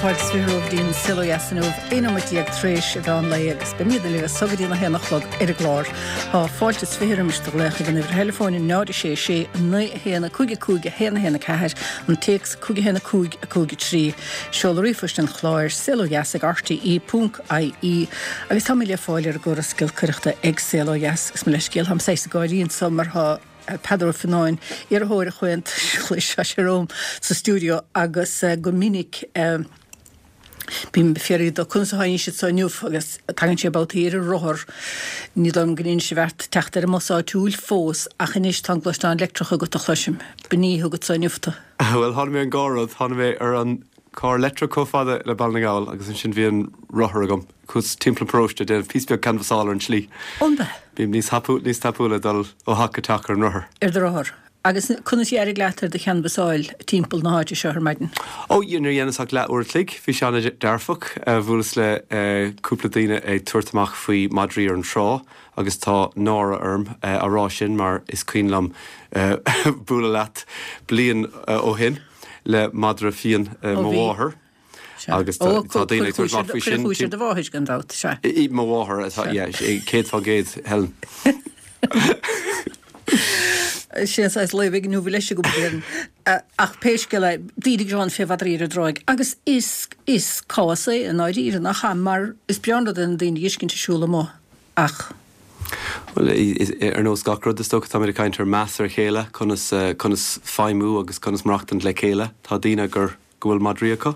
Fáilte is 20 romhaibh go dtí an Saol Ó Dheas inniu, 11 nóiméad tar éis an mheán lae agus beimidne libh as so go dtí an 1 a chlog ar an gclár. Tá fáilte is 20 roimis do ghlaoch ag an uimhir theileafóin 0 6 6 9 1 5 5 1 1 4, an téacs 5 1 5 5 3. Seoladh ríomhphoist an chláir, saolodheas ag rte ponc ie agus táimid le fáil ar an gcóras giolcaireachta ag Saol Ó Dheas agus mo leithscéal, táim saghas ag gáirí anso mar tá Peadar Ó Fionnáin, iarrthóir an Chomhaontais Ghlais, tá sé romham sa stiúideo agus go minic bím ag fiafraí de conas a tháinig siad so inniu agus tagann sé babhtaí ar an rothar. Ní dóigh liom go ndein sé beart teacht ar an mbus áitiúil fós ach anois tá an gluaisteán leictreach agat a chloisim. B'in í a thug anso inniu tú. Bhuel, tháinig mé ar an dhá rud. Tháinig mé ar an carr leictreach chomh fada le Baile na nGall agus ansin bhí an rothar agam. Chuas timpeall an pharóiste ag déanamh píosa beag canbhasála ar an tslí. An ea? Bím níos níos tapúla ag dul ó theach go teach ar an rothar. Ar do rothar. Agus conas a d'éirigh leat ar do chanbhasáil timpeall na háite seo ar maidin? Ó, níor dheineas ach leath uair a chloig. Bhí sé an-dearfach. Bhuaileas le cúpla daoine ag tabhairt amach faoi madraí ar an trá agus tá náire orm á rá sin mar is cuimhin liom bualadh leat bliain ó shin. le madra fiáin mo mháthar agus tá daoine ag tabhairt amach faoi sin. Cuireadh cúis ar do mháthair gan dabht, sea. Mo mháthair atá, yeah, 100% Helen. Sin saghas lao bheag inniu leis agam déarfainn. Ach pé scéal é, daoine ag gearán fé mhadraí ar an dtráigh agus is, is cás é i ndáiríre, nach ea? Mar is breá an rud é na daoine a fheiscint ag siúl amuigh ach. Bhuel, ar nós gach rud, is dócha, táimid ag caint ar meas ar a chéile, conas, conas feidhmiú agus conas maireachtaint le chéile. Tá daoine gur, go bhfuil madraí acu,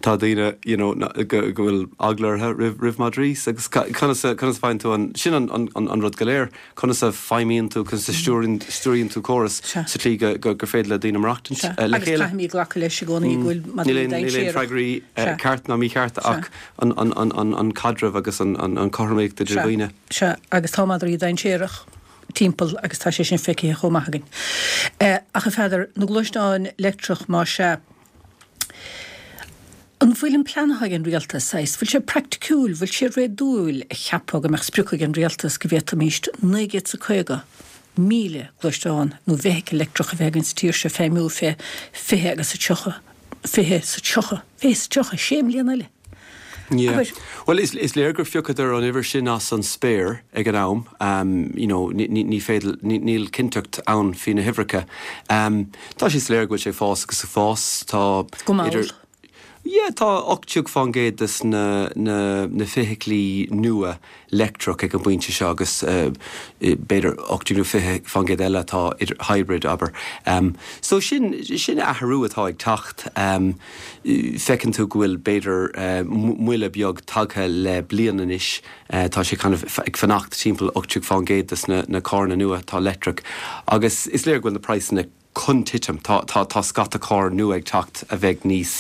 tá daoine, you know, go, go bhfuil eagla orthu roimh, roimh madraí agus conas a, conas a faigheann tú an, sin an, an, an rud go léir, conas a feidhmíonn tú, conas a stiúrann, stiúraíonn tú córas sa tslí go, go, gur féidir le daoine maireachtaint le chéile. Agus caithfimid glacadh leis i gcónaí go bhfuil madraí dainséarach. Níl aon freagraí ceart ná mícheart ach an caidreamh agus an chothromaíocht idir dhaoine. Sea, agus tá madraí dainséarach timpeall agus tá sé sin feicthe chomh maith againn. Ach a Pheadair, na gluaisteáin leictreach más ea, an bhfuil an plean atá ag an rialtas, saghas, bhfuil sé praiticiúil, bhfuil sé réadúil a cheapadh go mbeadh sprioc ag an rialtas go bhféadfaimíst 950,000 gluaisteán nó vehicle leictreach a bheith againn sa tír seo feidhmiú fé 20 agus a 30, 20 's a 30, 20 's a 30, sé mbliana eile? Yeah. Abair. Bhuel, is, is léir gur phiocadar an uimhir sin as an spéir ag an am. Um, you know, ní, ní, ní féidir, ní, níl cinnteacht ann faoi na huimhreacha. Um, tá sé soiléir go bhfuil sé ag fás agus ag fás. Tá Go mall. idir, yeah, tá 18% des na, na, na feithiclí nua leictreach ag an bpointe seo agus b'fhéidir 18 nó 20% eile atá idir hybrid, abair. So sin, sin athrú atá ag teacht. Feiceann tú go bhfuil b'fhéidir moille beag tagtha le bliain anois. Tá sé kind of ag fanacht timpeall 18% des na carranna nua atá leictreach agus is léir go bhfuil na praghsanna chun titim. Tá, tá, tá scata carr nua ag teacht a bheidh níos,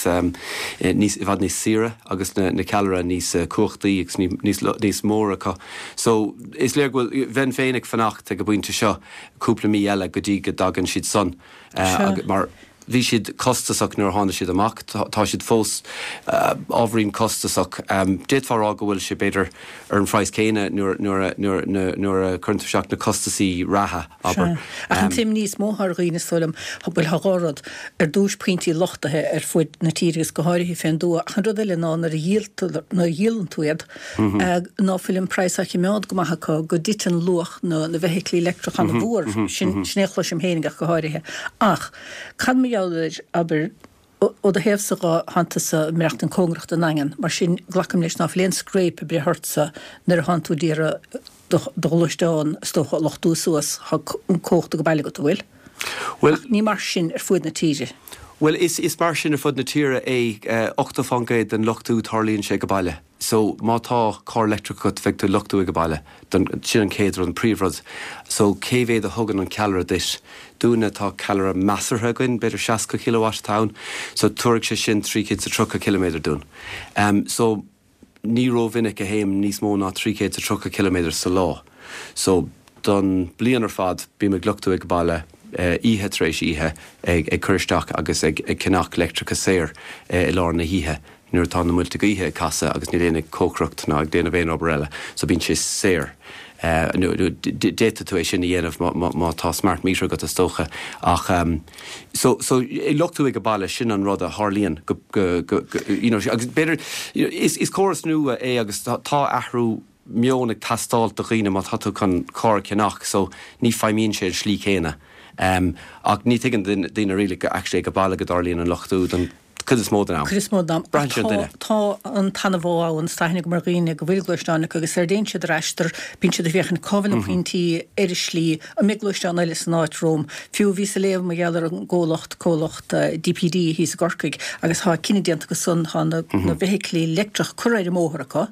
níos, i bhfad níos saoire agus na, na ceallra níos cumhachtaí agus ní, níos, níos mór acu. So, is léir go bhfuil, bheinn féin ag fanacht ag an bpointe seo cúpla mí eile go dtí go dtagann siad san, agus, mar bhí siad costasach nuair a tháinig siad amach, tá, tá siad fós ábhairín costasach. D'fhéadfá a rá go bhfuil sé b'fhéidir ar an phraghas céanna nuair, nuair a, nuair, nuair a chuireann tú isteach na costasaí reatha. abair. Sea. Ach an t-imní is mó atá ar dhaoine, is dóigh liom, bhuel, tá dhá rud. Ar dtúis, pointí luchtaithe ar fuaid na tíre agus go háirithe fén dtuath. Ach an rud eile ná nuair a dhíoltar, nuair a dhíolann tú iad, ná fuil an praghas á chimeád go maith acu, go dtiteann luach na na bhfeithiclí leictreach an-mhór. Sin, sin é a chloisim féinig ach go háirithe. Ach cad mar gheall ar, abair, Ó do thaobhsa dhe, thánn tusa ag maireachtaint cóngarach don nDaingean, mar sin glacaim leis ná fuil aon scréip ag breith ortsa nuair a thánn tú d'iarraidh do ghluaisteán, is dócha, a luchtú suas, tá an cumhacht ag baile agat, an bhfuil? Bhuel. Ach ní mar sin ar fuaid na tíre. Bhuel, is mar sin ar fud na tíre é, 80% den luchtú tarlaíonn sé ag baile. So, má tá carr leictreach agat, bheidh tú ag luchtú ag baile. Don, sin an chéad rud, an príomhrud. So, cé mhéad a thugann an ceallra duit? Dúinne, tá ceallra measartha againn, b'fhéidir 60 kilowatt atá ann. So, tabharfaidh sé sin 330 ciliméadar dúinn. Em, so, ní rómhinic a théim níos mó ná 330 ciliméadar sa lá. So, don bliain ar fad, bím ag luchtú ag baile, oíche tar éis oíche, ag, ag cur isteach agus ag, ag ceannach leictreachas saor i lár na hoíche. nuair atá na muilte gaoithe ag casadh agus níl éinne ag cócaireacht ná ag déanamh aon obair eile so bíonn sé saor. Nó d'fhéadfadh tú é sin a dhéanamh má tá smart meter agat is dócha. Ach so so ag luchtú ag baile sin an rud a tharlaíonn go go go you know agus b'fhéidir is is córas nua é agus tá athrú meoin ag teastáilt do dhaoine má tá tú chun carr a cheannach so ní feidhmíonn sé an slí céanna. Ach ní thuigeann daoine really go actually ag baile go dtarlaíonn an luchtú don cuid is mó den am. Cuid is mó den am. Braitheann sé ar an duine. Tá an t-anbhá ann, is tá aithne agam ar dhaoine go bhfuil gluaisteáin acu agus ar a dtéann siad ar aistear, bíonn siad ag féachaint cá bhfuil na pointí ar an slí, an mbeidh gluaisteán eile san áit romham. Fiú bhíos ag léamh mar gheall ar an gcomhlacht, comhlacht DPD thíos i gCorcaigh agus tá cinneadh déanta acu san, tá na feithiclí leictreach curtha ar an mbóthar acu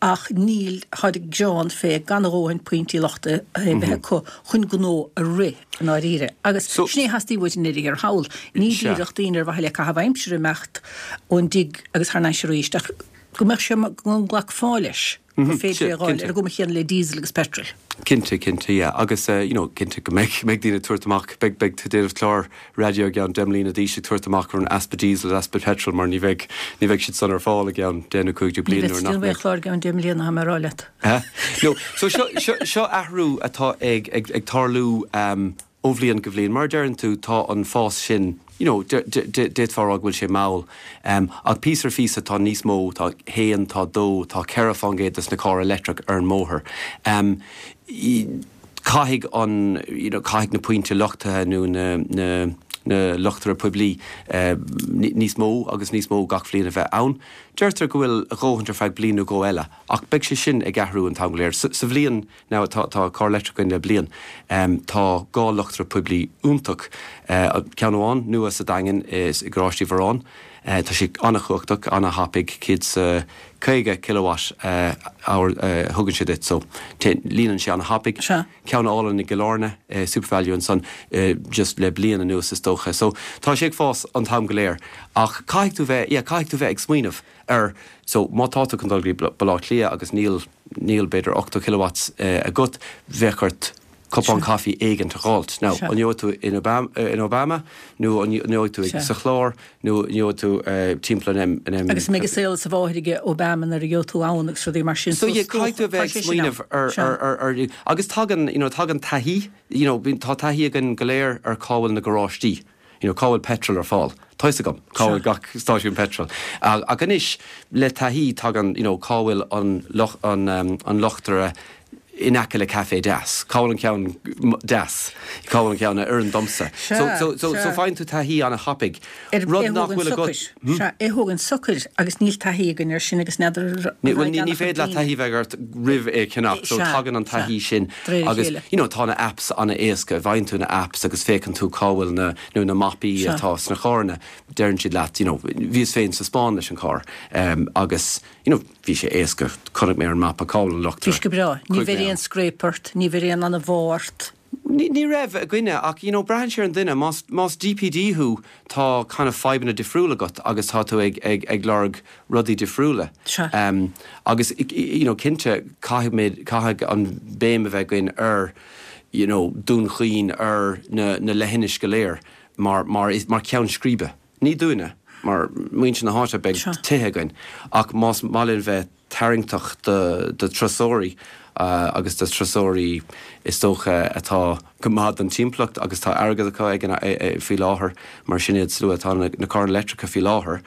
ach níl, táid ag gearán fé gan a dhóthain pointí luchtaithe a bheith acu chun gnó a rith. i ndáiríre. Agus sin é a theastaigh uait i ndeireadh thiar thall. Ní díreach daoine ar mhaithe le caitheamh aimsire imeacht ón dtigh agus thar n-ais arís, ach go mbeadh sé, go nglacfá leis gur féidir é a dh'fháil ar an gcuma chéanna le diesel agus petrol. Cinnte, cinnte, yeah. Agus you know, cinnte go mbeidh, mbeidh daoine ag tabhairt amach, beidh, beidh tú ag déanamh clár raidió i gceann 10 mbliana d'aois ag tabhairt amach ar an easpa diesel is easpa petrol mar ní bheidh, ní bheidh siad san ar fáil i gceann 10 nó 15 Ní bliain bheidh nuair tú nach ag déanamh aon mbeidh. chlár i gceann 10 mbliana, tá mé ag rá leat. No, so seo, seo, seo athrú atá ag, ag, ag tarlú ó bhliain go bhliain. Mar a deireann tú, tá an fás sin, you know, d'fhéadfá a rá go bhfuil sé mall. Ach píosa ar phíosa tá níos mó, tá haon, tá dó, tá 4% des na cairr leictreach ar an mbóthar. Caithfidh an, you know, caithfidh na pointe luchtaithe nó na, na, na luchtaithe poiblí níos mó agus níos mó gach bhliain a bheith ann. Deirtear go bhfuil a dhóthaint ar feadh bliain nó dhó eile. Ach beidh sé sin ag athrú an t-am go léir. Sa bhliain now, tá tá carr leictreach againn le bliain, tá dhá luchtaire poiblí iontach, ceann amháin nua sa Daingean i gCaráiste Uí Mhóráin, tá sé an-chumhachtach, an-thapaidh, 150 kilowatt hour a thugann sé duit, so líonann sé an-thapaidh. Ceann álainn i gCill Airne, Supervalu ansan, just le bliain anuas is dócha. So tá sé ag fás an t-am go léir. Ach caithfidh tú bheith, yeah, caithfidh tú bheith ag smaoineamh. ar so má tá tú chun dul go dtí Baile Átha Cliath agus níl níl b'fhéidir 80 kilowatts agat, bheadh ort cupán caife éigint a dh'fháilt. Now, an ngeobhaidh tú in Obama in Obama nó an ngeobhaidh tú ag sa Chlár nó an ngeobhaidh tú timpeall an M an M Agus an mbeidh a saol is a mháthair aige Obama nuair a gheobhaidh tú ann agus rudaí mar sin. So yeah, caithfidh tú a bheith ag smaoineamh ar ar ar ar agus tagann you know tagann taithí you know tá taithí againn go léir ar cá bhfuil na garáistí. You know, cá bhfuil petrol ar fáil? Tá 'fhios agam cá bhfuil gach stáisiún petrol. Ach anois, le taithí, tagann, you know, cá bhfuil an an an luchtaire in aice le caife deas? Cá bhfuil an ceann deas? Cá bhfuil an ceann a oireann domsa? So, so, so, so faigheann tú taithí an-thapaidh. Rud nach bhfuil agat. Sea, é thógaint socair agus níl taithí againn air sin agus n'fheadar Bhuel, ní féidir leat taithí bheith agat roimh é cheannach, so tagann an taithí sin agus, you know, tá na apps an-éasca, faigheann tú na apps agus féachann tú cá bhfuil na, nó na mapaí atá sna carranna, deireann siad leat, you know, bhíos féin sa Spáinn leis an carr agus, you know, bhí sé éasca, chonaic mé ar an mapa cá bhfuil an luchtaire. Bhí sé go breá. Ní bheir aon scrape ort, ní bheir aon anbhá ort. Ní raibh againne ach you know braitheann sé ar an duine. Más más DPD thú tá kind of fadhbanna difriúla agat agus tá tú ag ag ag lorg rudaí difriúla. Sea. Agus you know cinnte caithfidh caithfidh an béim a bheith againn ar you know Dún Chaoin ar na na leithinis go léir mar mar mar ceann scríbe. Ní dúinne mar muintir na háite beidh tithe againn ach más maith linn bheith tarraingteach do turasóirí agus do turasóirí is dócha atá go maith don timpeallacht agus tá airgead acu ag an faoi láthair mar sin iad slua atá na carranna leictreacha faoi láthair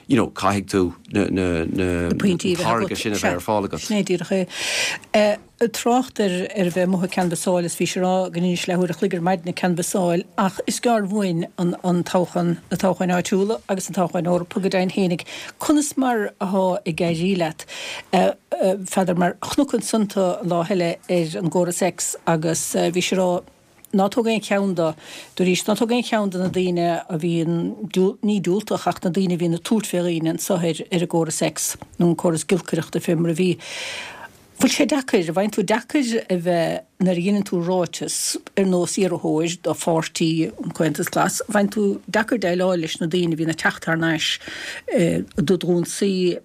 you know caithfidh tú na na na táirge sin a bheith ar fáil agat. Sin é díreach é. Trácht ar ar a bheith amuigh ag canbhasáil is bhís ag rá go ndeinis leathuair a chloig ar maidin ag canbhasáil ach is gearr uainn an an toghchán, na toghcháin áitiúla agus na toghcháin Eorpacha go deimhin fhéinig. Conas mar athá ag éirí leat? N'fheadar mar chonac ansan tú an lá eile ar an gcóras X agus bhís ag rá ná tóg aon cheann de, dúraís, ná tóg aon cheann de na daoine a bhíonn, ní diúltach ach na daoine a bhíonn ag tabhairt fé dhaoine anso ar ar an gcóras X nó an córas giolcaireachta fé mar a bhí. Bhfuil sé deacair, an bhfaigheann tú deacair a bheith, nuair a dheineann tú ráiteas ar nós iarrthóir do pháirtí an Comhaontas Glas, an bhfaigheann tú deacair déileáil leis na daoine a bhíonn ag teacht thar n-ais do d'ionsaí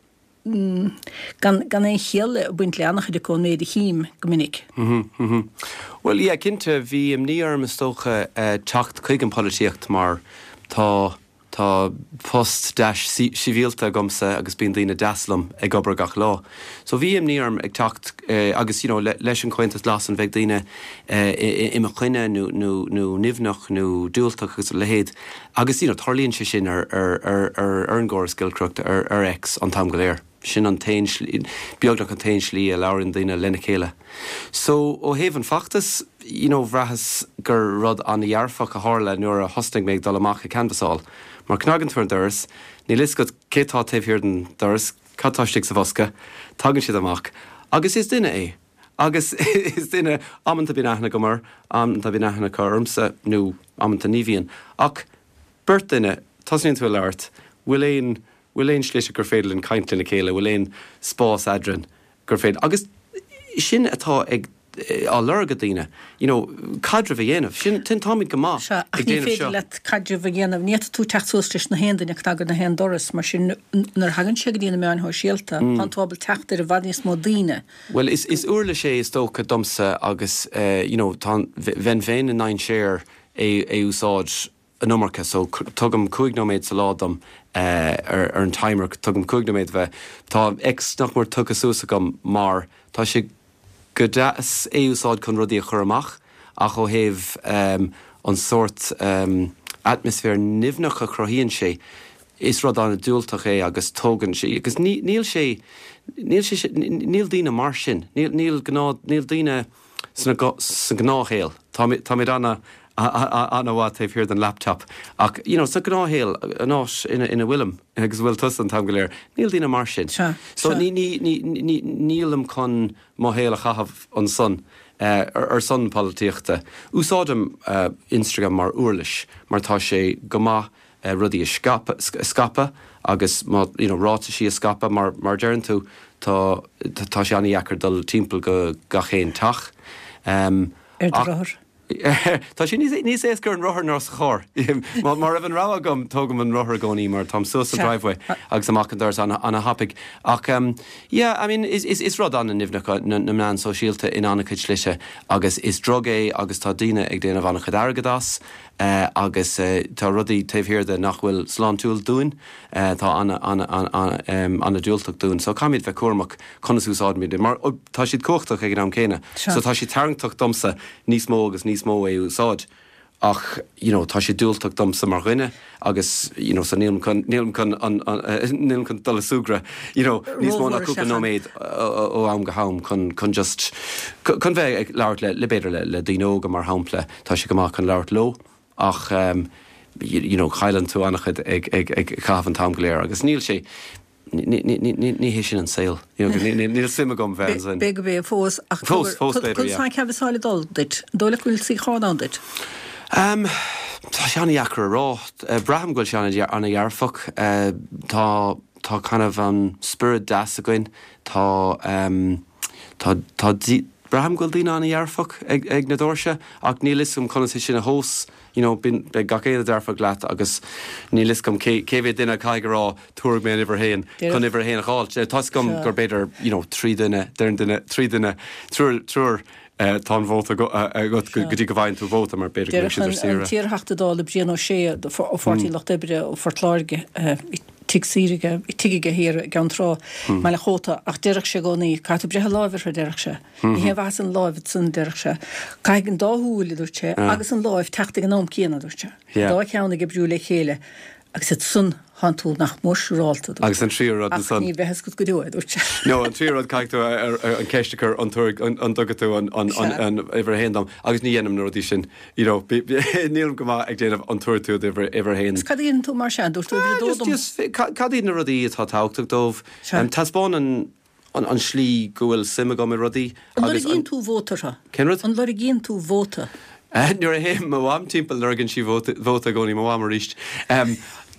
gan gan aon chiall ag baint le an-chuid acu ón méid a chím go minic? Bhuel, yeah, cinnte, bhí imní orm is dócha teacht chuig an polaitíocht mar tá. Tá post deas sibhialta agamsa agus bíonn daoine deas liom ag obair gach lá. So bhí imní orm ag teacht agus you know leis an Comhaontas Glas an bheidh daoine i mo choinne nó nó nó nimhneach nó diúltach agus a leithéid agus you know tarlaíonn sé sin ar ar ar ar an gcóras giolcaireachta ar ar X an t-am go léir. Sin an t-aon slí, beagnach an t-aon slí a labhraíonn daoine lena chéile. So, ó thaobh an feachtais, you know, bhraitheas gur rud an-dhearfach a tharla nuair a thosnaigh mé ag dul amach ag canbhasáil. Mar cnagann tú ar an doras, níl fhios agat cé tá taobh thiar den doras, cad tá istigh sa bhosca, tagann siad amach agus is duine é. Agus is duine, amanta bíonn aithne agam air, amanta bíonn aithne acu ormsa, nó amanta ní bhíonn. Ach beirt duine, tosnaíonn tú ag labhairt, bhfuil aon bhfuil aon slite gur féidir linn caint lena chéile, bhfuil aon spás eadrainn gur féidir, agus sin atá ag, á lorg ag daoine, you know, caidreamh a dhéanamh, sin, sin, táimid go maith Sea, ach ag ní déanamh féidir seo. leat caidreamh a dhéanamh, ní fhéadfaidh tú teacht suas leis na haon duine ag cnagadh na haon doras, mar sin nuair a thagann sé go dtí na meáin shóisialta, tánn tú ábalta teacht ar i bhfad níos mó daoine. Bhuel, is, is uirlis é is dócha domsa agus eh, you know, tá, bheinn féin i ndainséar é, é úsáid an iomarca so tugaim 5 nóiméad sa lá dom ar an timer, tugaim 5 nóiméad bheith, tá X nach mór tugtha suas agam mar tá sé go deas é úsáid chun rudaí a chur amach ach ó thaobh an sórt atmaisféar nimhneach a chruthaíonn sé, is rud an-diúltach é agus tógann sé, agus níl sé, níl sé, níl daoine mar sin, níl, níl gnáth, níl daoine. Sa ngnáthshaol, táimid an-mhaith taobh thiar den laptop ach you know sa ghnáthshaol, an áit ina bhfuilim agus a bhfuil tusa an t-am go léir, níl daoine mar sin. So nílim chun mo shaol a chaitheamh ansan ar son polaitíochta. Úsáidim Instagram mar uirlis mar tá sé go maith rudaí a scaipeadh agus má, you know, ráitisí a scaipeadh mar, mar a deireann tú, tá, tá sé an-dheacair dul timpeall go gach aon teach. Ar do rothar. Tá sé níos, níos éasca ar an rothar ná sa charr. Má, má raibh an rogha agam, tógaim an rothar i gcónaí mar táim suas an driveway agus amach an doras an-thapaidh. Ach, yeah, I mean, is, is, is rud an-nimhneach na, na meáin sóisialta in an-chuid slite agus is drug é agus tá daoine ag déanamh an-chuid airgead as. Agus tá rudaí taobh thiar de nach bhfuil sláintiúil dúinn, atá an-diúltach dúinn. So caithfimid bheith cúramach conas úsáidimid iad, mar tá siad cumhachtach ag an am céanna. So tá sé tarraingteach domsa níos mó agus níos mó é a úsáid ach you know tá sé diúltach domsa mar dhuine agus you know so nílim chun, nílim chun an, nílim chun dul ag súgradh you know níos mó ná cúpla nóiméad ó am go ham chun, chun just, chun bheith ag labhairt le, le b'fhéidir le, le daoine óga mar shampla. Tá sé go maith chun labhairt leo ach you know cailleann tú an-chuid ag ag ag caitheamh an t-am go léir agus níl sé ní ní ní ní hé sin an saol you know ní níl suim agam bheith ansin. B'fhéidir go b'é fós ach Fós, fós b'fhéidir, yeah. Conas tá an canbhasáil ag dul duit? An dóigh leat go bhfuil suíochán ann duit? Um tá sé an-dheacair a rá. Braithim go bhfuil sé an-dhearfach. Tá tá kind of an spiorad deas againn. Tá um Tá, tá, braithim go bhfuil daoine an-dhearfach ag, ag na doirse ach níl fhios agam conas é sin a thomhas, you know, bíonn, beidh gach éinne dearfach leat agus níl fhios agam cé, cé mhéad duine a caithfidh a rá tabharfaidh mé an uimhir a haon chun uimhir a haon a dh'fháilt. Tá fhios agam gur b'fhéidir, you know, trí duine, deireann duine, trí duine, triúr, triúr, tá an vóta agat go dtí go bhfaigheann tú vóta mar b'fhéidir go mbeidh siad ar saoire. Deireadh an t-iarTheachta Dála Brian Ó Sé ó Pháirtí an Lucht Oibre ó Phort Láirge, tigh saoire aige, tigh aige thiar i gCeann Trá, i mBaile an Chóta, ach deireadh sé i gcónaí, caithfidh tú breith an láimh orthu, a deireadh sé. Ní haon mhaitheas an láimh ansan, a deireadh sé. Caithfidh an dá shúil, a dúirt sé, agus an láimh teacht ag an am céanna, a dúirt sé. An dá cheann ag oibriú le chéile agus ansan tánn tú nach mór siúrálta, a dúirt sé. Agus an tríú rud ansan. Ach ní bheidh fhios agat go deo é, a dúirt sé. No, an tríú rud, caithfidh tú an ceist a chur, an dtugann tú an uimhir a haon dom, agus ní dhéanaim na rudaí sin. You know, nílim go maith ag déanamh an tabharfaidh tú d'uimhir a haon. Cad a dhéanann tú mar sin? Dúirt tú uimhir a dó dom. Just, cad iad na rudaí atá tábhachtach dóibh? Taispeánann an slí go bhfuil suim agam i rudaí. An lorgaíonn tú vóta orthu? Cén rud? An lorgaíonn tú vóta? Nuair a théann mo mham timpeall lorgaíonn sí vóta i gcónaí, mo mham arís.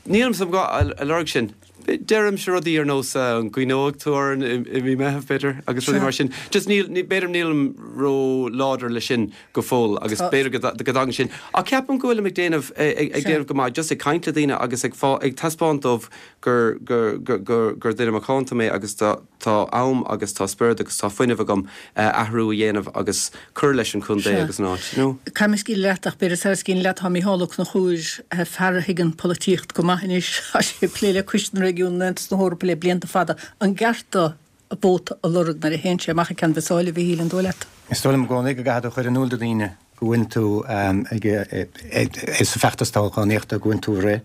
Nílimse ag lorg sin. Deirimse rudaí ar nós an gcuimhneoidh tú orainn i mí Meitheamh, b'fhéidir, agus rudaí mar sin. Just níl, b'fhéidir nílim ró-láidir leis sin go fóill agus b'fhéidir go dtagann sin. Ach ceapaim go bhfuilim ag déanamh, ag déanamh go maith, just ag caint le daoine agus ag ag taispeáint dóibh gur, gur, gur, gur duine macánta mé agus tá. Tá am agus tá spiorad agus tá fuinneamh agam athrú a dhéanamh agus cur leis an chontae agus an áit, you know. Caithfidh mé scaoileadh leat ach b'fhéidir sara scaoilim leat tá Mícheál Ó Conchúir, fear a thuigeann polaitíocht go maith anois, tá sé ag plé le Coiste na Réigiún in Aontas na hEorpa le blianta fada. An gceart dó vóta a lorg nuair a théann sé amach ag Ceann Mhic Sáile, a Mhichíl, an dóigh leat? Is dóigh liom i gcónaí go gcaithfidh tú a chur in iúl do dhaoine go bhfuil tú ag sa feachtas toghchánaíochta go bhfuil tú ag rith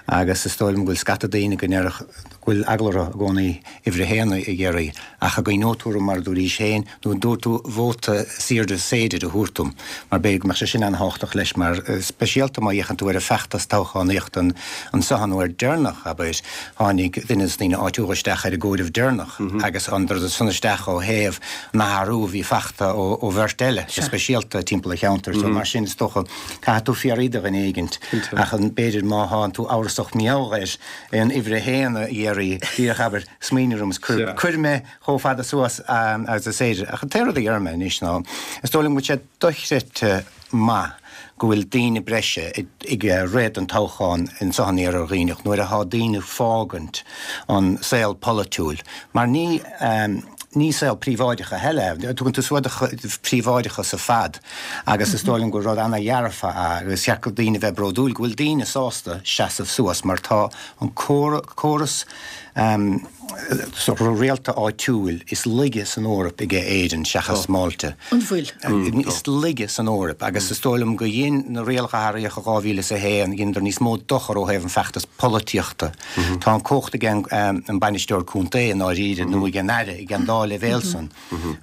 agus is dóigh liom go bhfuil scata daoine go ndéarfadh go bhfuil eagla orthu i gcónaí uimhir a haon a iarraidh ach an gcuimhneoidh tú orm mar a dúraís féin nó an dtabharfaidh tú vóta is airde is féidir a thabhairt dom mar b'fhéidir go mbeadh sé sin an-thábhachtach leis mar speisialta má fhéachann tú ar an feachtas toghchánaíochta anseo an uair deireanach abair tháinig duine de na daoine áitiúla isteach ar an gcomhaireamh deireanach agus thángthas san isteach ó thaobh an athrú a bhí fachta ó bheirt eile, go speisialta timpeall an cheantair. So mar sin is dócha caithfidh tú fiafraí de dhuine éigint ach an b'fhéidir má thánn tú amhrasach mar gheall ar an uimhir a haon a iarraidh, díreach abair, smaoinigh orm is cuir, cuir mé chomh fada suas agus is féidir. Ach an t-aon rud a déarfaidh mé anois ná is dóigh liom go bhfuil sé dochreidte maith go bhfuil daoine breise ag rith don toghchán anseo in Iarthar Dhuibhneach nuair atá daoine fágaint an saol polaitiúil mar ní ní saol príobháideach a thuilleadh é. Tugann tú suas do phríobháideachas ar fad agus is dóigh liom gur rud ana-dhearfa é agus cheart do daoine bheith bródúil go bhfuil daoine sásta seasamh suas mar tá an córas rialta áitiúil is laige san Eoraip aige Éirinn seachas Málta. An bhfuil? Is laige san Eoraip agus is dóigh liom go dhein na rialacha a athraíodh i 2001, dheineadar níos mó dochar ó thaobh an feachtas polaitíochta. Tá an cumhacht ag an bainisteoir contae i ndáiríre nó ag an aire ag an dá leibhéal san.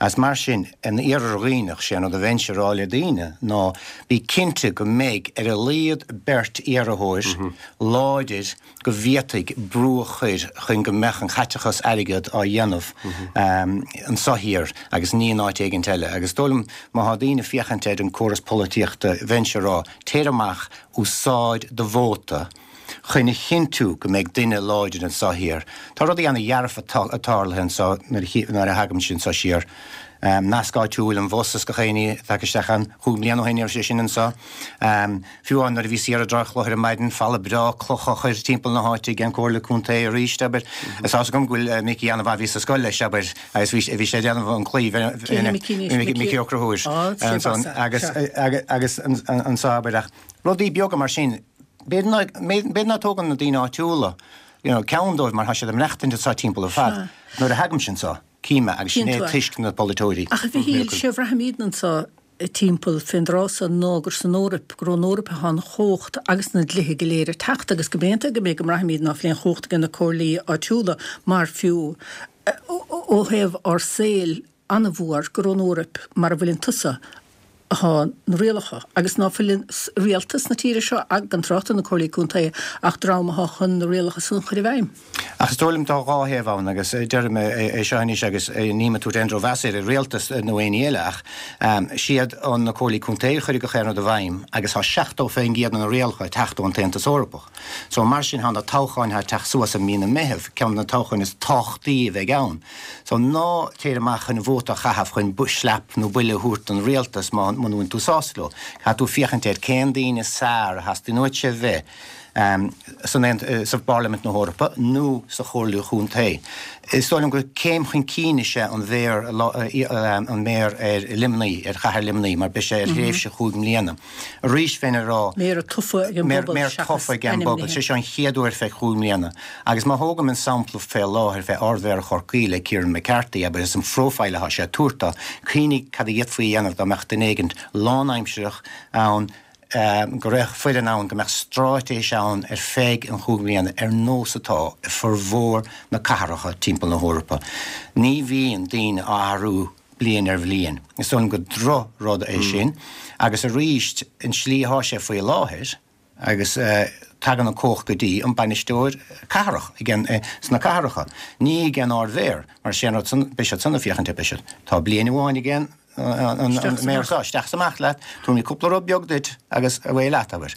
Agus mar sin, in Iarthar Dhuibhneach, sé an rud a bheinnse a rá le daoine ná bí cinnte go mbeidh ar a laghad beirt iarrthóir láidir go bhféadfaidh brú a chur chun go mbeadh an caiteachas airgead á dhéanamh anso thiar agus ní in áit éigint eile. Agus is dóigh liom má thá daoine ag féachaint ar an córas polaitíochta bheinnse a rá, téir amach, úsáid do vóta chun a chinntiú go mbeidh duine láidir anso thiar. Tá rudaí ana dhearfa tarlaithe anso nuair a thagaimse anso siar. Nasc áitiúil, an bhus is gach éinne tagtha isteach ann. Chúig mbliana ó shin ní raibh sé sin anso. Fiú amháin nuair a bhíos thiar i dTrá Chlochair ar maidin, falla breá cloch á chur timpeall na háite ag an Comhairle Contae arís, abair. Is tá's agam go bhfuil Micí an-mhaith, bhíos sa scoil leis, abair, agus bhí bhí sé ag déanamh an claí, Cé hé Micí anois? Micí Micí Ó Conchúir. Á, sé ansan, agus, agus anso, abair, ach rudaí beaga mar sin, b'fhéidir ná, b'fhéidir ná tógann na daoine áitiúla, you know, ceann dóibh mar tá siad ag maireachtaint anso timpeall ar fad. Nuair a thagaimse anso, cím é, agus sin é toisc na polaiteoirí. Ach a Mhichíl, sé a bhraithimidne anso timpeall fén dtráth so ná gur san Eoraip, gur ón Eoraip atá an chumhacht agus na dlíthe go léir ag teacht agus go mb'aontaithe go mb'é go mbraithimid ná fuil aon chumhacht aige na comhairlí áitiúla mar fiú ó thaobh ár saoil an-mhór gur ón Eoraip mar a bhfuileann tusa atá na rialacha agus ná fuil rialtas na tíre seo, gan trácht ar na comhairlí contae, ach dream atá chun na rialacha san a chur i bhfeidhm. Ach is dóigh liom tá dhá thaobh ann agus déarfaidh mé é seo anois agus nílim ag tabhairt aon drochmheas ar an rialtas nó éinní eile ach siad an na comhairlí contae a chuirfidh gach aon rud i bhfeidhm agus tá 70% de na rialacha ag teacht ón tAontas Eorpach. So mar sin tá na toghcháin atá ag teacht suas i mí na Meitheamh, ceann de na toghcháin is tábhachtaí a bheidh ann. So ná téir amach chun vóta a chaitheamh chun slap nó buille a thabhairt don rialtas má muna bhfuil tú sásta leo. Caithfidh tú féachaint ar cén daoine is fearr a theastaíonn uaitse a bheith san sa bParlaimint na hEorpa nó sa Chomhairle Chontae. Is dóigh liom gur céim chun cinn is ea an mhéar an méara ar Luimnigh, ar chathair Luimnigh, mar beidh sé ar thréimhse chúig mbliana. Arís bheinn ag rá. Méara tofa ag an bpobal Méara seachas tofa ag an bpobal. ainmnithe. Sé seo an chéad uair feadh chúig mbliana. Agus má thógaim an sampla fé láthair fé Ard-Mhéara Chorcaí le Kieran McCarthy, abair, is an phróifile atá sé ag tabhairt dó, cuimhnigh cad a d'fhéadfaí a dhéanamh dá mbeadh duine éigint lánaimsireach ann, go raibh foireann ann, go mbeadh stráitéis ann ar feadh an chúig mbliana ar nós atá i formhór na cathracha timpeall na hEorpa. Ní bhíonn daoine á athrú bliain ar bhliain. Is dóigh liom gur droch-rud é sin agus arís an tslí atá sé faoi láthair agus tagann an cumhacht go dtí an bainisteoir cathrach ag an, sna cathracha, ní ag an Ard-Mhéara mar sé an rud san, beidh siad san ag féachaint ar, beidh siad, tá bliain amháin ag an an méara seo, isteach is amach leat, tabharfaidh mé cúpla rud beag duit agus away leat, abair.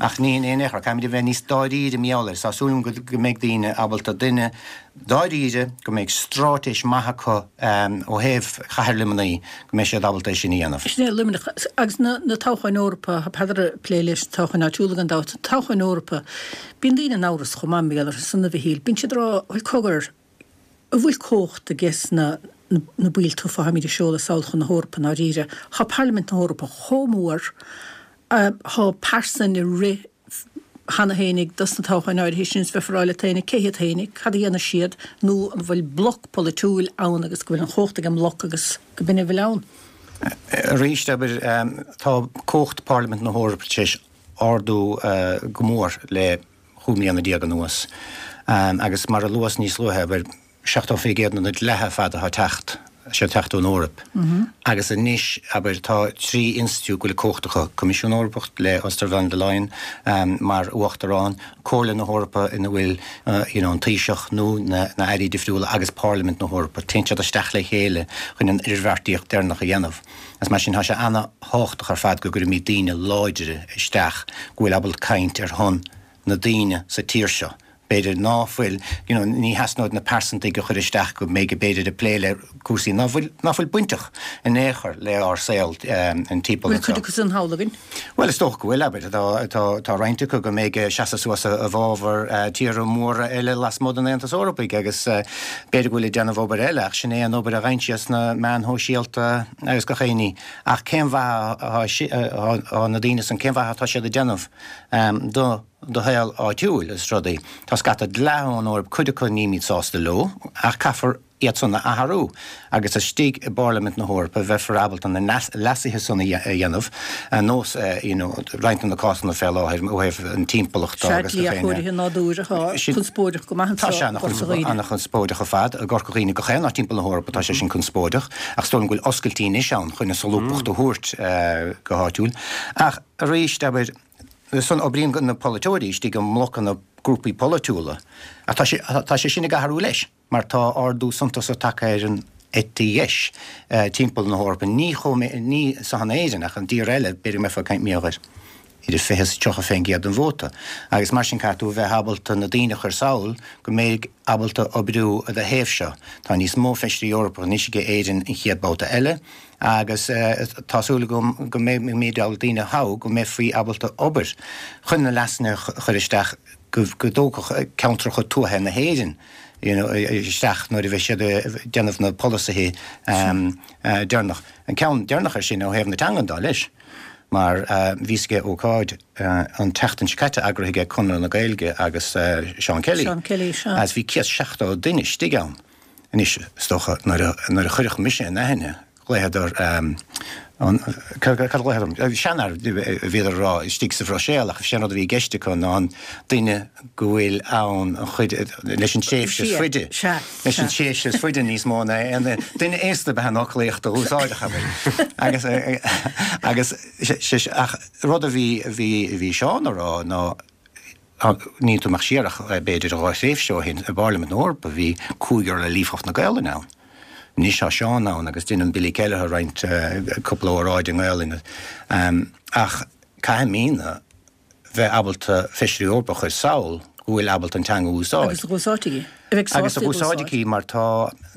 Ach ní hin é in aon chor, caithfimid a bheith níos dáiríre mar gheall air. Tá súil agam go mbeidh daoine ábalta duine dáiríre, go mbeidh straitéis maith acu ó thaobh chathair Luimnigh, go mbeidh siad ábalta é sin a dhéanamh. Sin é Luimneach. Agus na toghcháin Eorpa, tá Peadar ag plé leis na toghcháin áitiúla gan dabht, toghcháin Eorpa, bíonn daoine in amhras chomh maith mar gheall orthu san a Mhichíl. Bíonn siad ag rá, bhuel cogar. An bhfuil cumhacht ages na na baill tofa atáimid a seoladh sall chun na hEorpa i ndáiríre? Tá Parlaimint na hEorpa chomh mór, tá pearsain ag rith cheana fhéinig dos na toghcháin áirithe sin is bheifeá ag rá leat fhéinig cé hiad fhéinig, cad a dhéanfaidh siad nó an bhfuil bloc polaitiúil ann agus go bhfuil an chumhacht ag an mbloc agus go b'in a bhfuil ann? Arís, abair, tá cumhacht Pharlaimint na hEorpa tar éis ardú go mór le 15 mbliana anuas agus mar a luas níos luaithe, abair, 70% de na dlíthe ar fad atá ag teacht, siad ag teacht ón Eoraip. Agus anois, abair, tá 3 institiúid go bhfuil cumhacht acu, Coimisiún Eorpach le Ursula von der Leyen mar Uachtarán, Comhairle na hEorpa ina bhfuil you know an Taoiseach nó na hairí difriúla agus Parlaimint na hEorpa. Téann siad isteach le chéile chun an idirbheartaíocht deireanach a dhéanamh. Agus mar sin tá sé ana-thábhachtach ar fad go gcuirimid daoine láidre isteach go bhfuil ábalta caint ar shon na daoine sa tír seo. B'fhéidir ná fuil, you know, ní theasnóidh na pearsantaigh a chur isteach go mbeidh b'fhéidir ag plé le cúrsaí ná fuil, ná fuil bainteach in aon chor le ár saol an timpeall Bhfuil cuid acu san thall againn? Bhuel, is dócha go bhfuil, abair. Tá, tá, tá roinnt acu go mbeidh ag seasamh suas i bhfabhar tíortha móra eile lasmuigh den Aontas Eorpaigh agus b'fhéidir go bhfuil ag déanamh obair eile ach sin é an obair a gheibheann siad sna meáin shóisialta agus gach aon ní. Ach cén mhaith atá, atá na daoine san, cén mhaith atá siad ag déanamh do do shaol áitiúil is rudaí. Tá scata dlíthe ón Eoraip, cuid acu nílimid sásta leo, ach caithfear iad san a athrú agus istigh i bParlaimint na hEorpa bheifear ábalta na leasuithe san a dhéanamh, ar nós you know roinnt de na cásanna fé láthair ó thaobh an timpeallachta Sea, agus dlí gach éinne. athchóirithe nádúir atá conspóideach go maith Tá sé anseo i gCorca Dhuibhne. ana-chonspóideach ar fad i gCorca Dhuibhne gach aon áit timpeall na hEorpa tá sé sin conspóideach ach is dóigh liom go bhfuil oscailtí anois ann chun an solúbthacht a thabhairt go háitiúil. Ach arís, abair, San oibríonn na polaiteoirí istigh i mblocanna grúpaí polaitiúla ach tá sé tá sé sin ag athrú leis mar tá ardú suntasach tagtha ar an eite dheis timpeall na hEorpa, ní chomh ní san Éirinn ach i dtíortha eile, b'fhéidir go mbeifeá ag caint mar gheall ar idir 20 is 30% den vóta agus mar sin caithfidh tú a bheith ábalta na daoine a chur sall go mbeidh ábalta oibriú i do thaobh seo. Tá níos mó feisirí Eorpacha anois ag Éirinn an chéad babhta eile. Agus tá súil agam go mbeimid ábalta daoine a thoghadh go mbeifí ábalta obair chun na leasanna a chur isteach go dtógfadh ceantracha tuaithe na hÉireann you know isteach nuair a bheidh siad ag déanamh na polasaithe deireanach. An ceann deireanach ar sin ó thaobh na teangan dá leis mar bhíos ag ócáid an tseachtain seo caite eagraithe ag Conradh na Gaeilge agus Seán Kelly Seán Kelly, sea. agus bhí 170 duine istigh ann. Anois, is dócha, nuair a, nuair a chuirfeadh mise in aithne, ghlaodar, an, cad a ghlaodar orm? Seanfhear, a bhíodar a rá, istigh sa Bhruiséil, ach sé an rud a bhí i gceist acu ná an duine go bhfuil ann an chuid, leis an tréimhse is faide, leis an tréimhse is faide níos mó ná aon duine aosta ab ea an fhoclaíocht a úsáideadh, abair. Agus, agus, ach rud a bhí, a bhí, a bhí Seán a rá ná, Níl tú amach siar ach b'fhéidir 2 thréimhse ó shin i bParlaimint na hEorpa bhí cúigear le líofacht na Gaelainne ann. Anois tá Seán ann agus déanann Billy Kelleher roinnt cúpla óráid i nGaelainn. Ach caithfimidne bheith ábalta Feisirí Eorpacha a chur sall go bhfuil ábalta an teanga a úsáid. Agus a dh'úsáidfidh í. A bheidh sásta í a dh'úsáid. Agus a dh'úsáidfidh í mar tá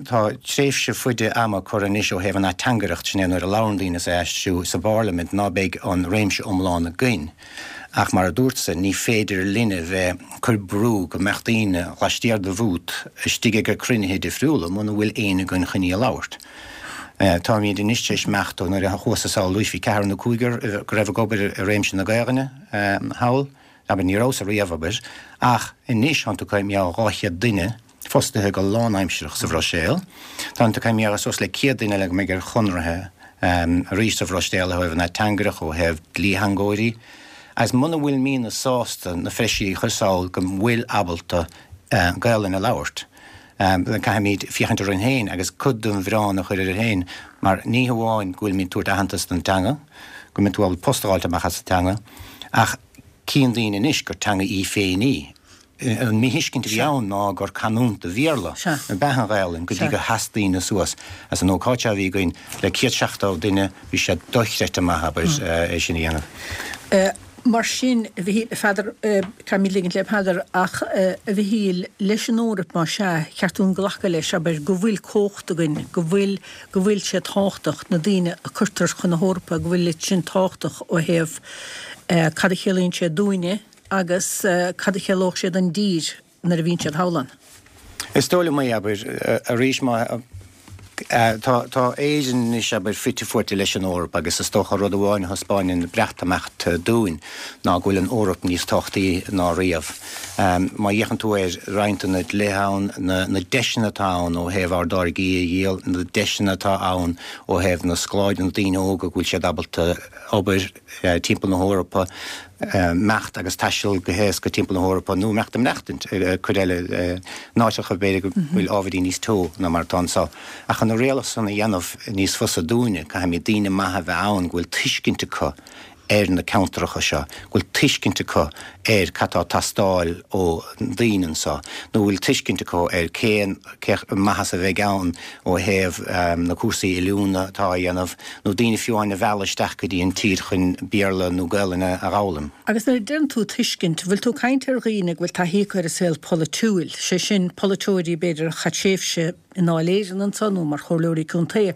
tá tréimhse faide ama curtha anois ó thaobh an ateangaireacht, sin é nuair a labhrann daoine is é aistriú sa bParlaimint ná beidh an réimse iomlán againn. Ach mar a dúrtsa, ní féidir linne bheith cur brú go mbeadh daoine laistiar de bhút istigh ag cruinnithe difriúla muna bhfuil éinne againn chun í a labhairt. Táimid anois tar éis imeacht ó nuair a chuas-sa sall arís bhí ceathrar nó cúigear go raibh ag obair i réimse na Gaelainne thall, abair ní rabhas ariamh abair, ach anois tánn tú ag caint mar gheall 200 duine fostaithe go lánaimsearach sa Bhruiséil. Tánn tú ag caint mar gheall suas le 100 duine eile go mbeidh ar chonraithe arís sa Bhruiséil ó thaobh an ateangaireacht, ó thaobh dlítheangóirí. Agus muna bhfuilimidne sásta na feisirí a chur sall go bhfuil ábalta Gaelainn a labhairt, caithfimid féachaint orainn féin agus cuid den mhilleán a chur orainn féin mar ní hamháin go bhfuilimid ag tabhairt aitheantas don teanga, go mbeidh tú ábalta post a fháilt amach as an teanga, ach cíonn daoine anois gur teanga í féin í. An míthuiscint a bhí ann ná gur canúint de Bhéarla ab ea an Ghaelainn go dtí gur sheas daoine suas. Agus an ócáid seo a bhí againn le 170 duine, bhí sé dochreidte maith, abair, é sin a dhéanamh. Mar sin, a Mhichíl, a Pheadair, caithfimid ligint le Peadar, ach, a Mhichíl, leis an Eoraip, más ea, cheart dúinn glacadh leis, abair, go bhfuil cumhacht againn, go bhfuil, go bhfuil sé tábhachtach, na daoine a cuirtear chun na hEorpa, go bhfuil sin tábhachtach ó thaobh cad a chiallaíonn sé dúinne, Agus cad a chiallódh sé don dtír nuair a bhíonn siad thall ann? Is dóigh liom é, abair, arís má tá tá Éirinn anois, abair, fite fuaite leis an Eoraip agus is dócha rud amháin a thaispeáineann an Breatimeacht dúinn ná go bhfuil an Eoraip níos tábhachtaí ná riamh. Má fhéachann tú ar roinnt de na dlíthe ann, na na deiseanna atá ann ó thaobh ár dtáirgí a dhíol, na deiseanna atá ann ó thaobh na scoláirí, na daoine óga go bhfuil siad ábalta obair timpeall na hEorpa, imeacht agus taisteal go héasca timpeall na hEorpa nó imeacht ag maireachtaint cuid eile in áiteacha b'fhéidir go bhfuil ábhairín níos teo ná mar atá anseo. Ach chun na rialacha san a dhéanamh níos fusa dúinne, caithfimid daoine maithe a bheith ann go bhfuil tuiscint acu ar na ceantracha seo, go bhfuil tuiscint acu ar cad tá ag teastáil ó daoine anseo, nó go bhfuil tuiscint acu ar cén maitheas a bheidh ann ó thaobh na cúrsaí oiliúna atá á dhéanamh, nó daoine fiú amháin a mhealladh isteach go dtí an tír chun Béarla nó Gaelainn a dh'fhoghlaim. Agus nuair a deireann tú tuiscint, bhfuil tú ag caint ar dhaoine go bhfuil taithí acu ar an saol polaitiúil, sé sin, polaiteoirí b'fhéidir a chaith tréimhse i nDáil Éireann anseo nó mar chomhairleoirí contae,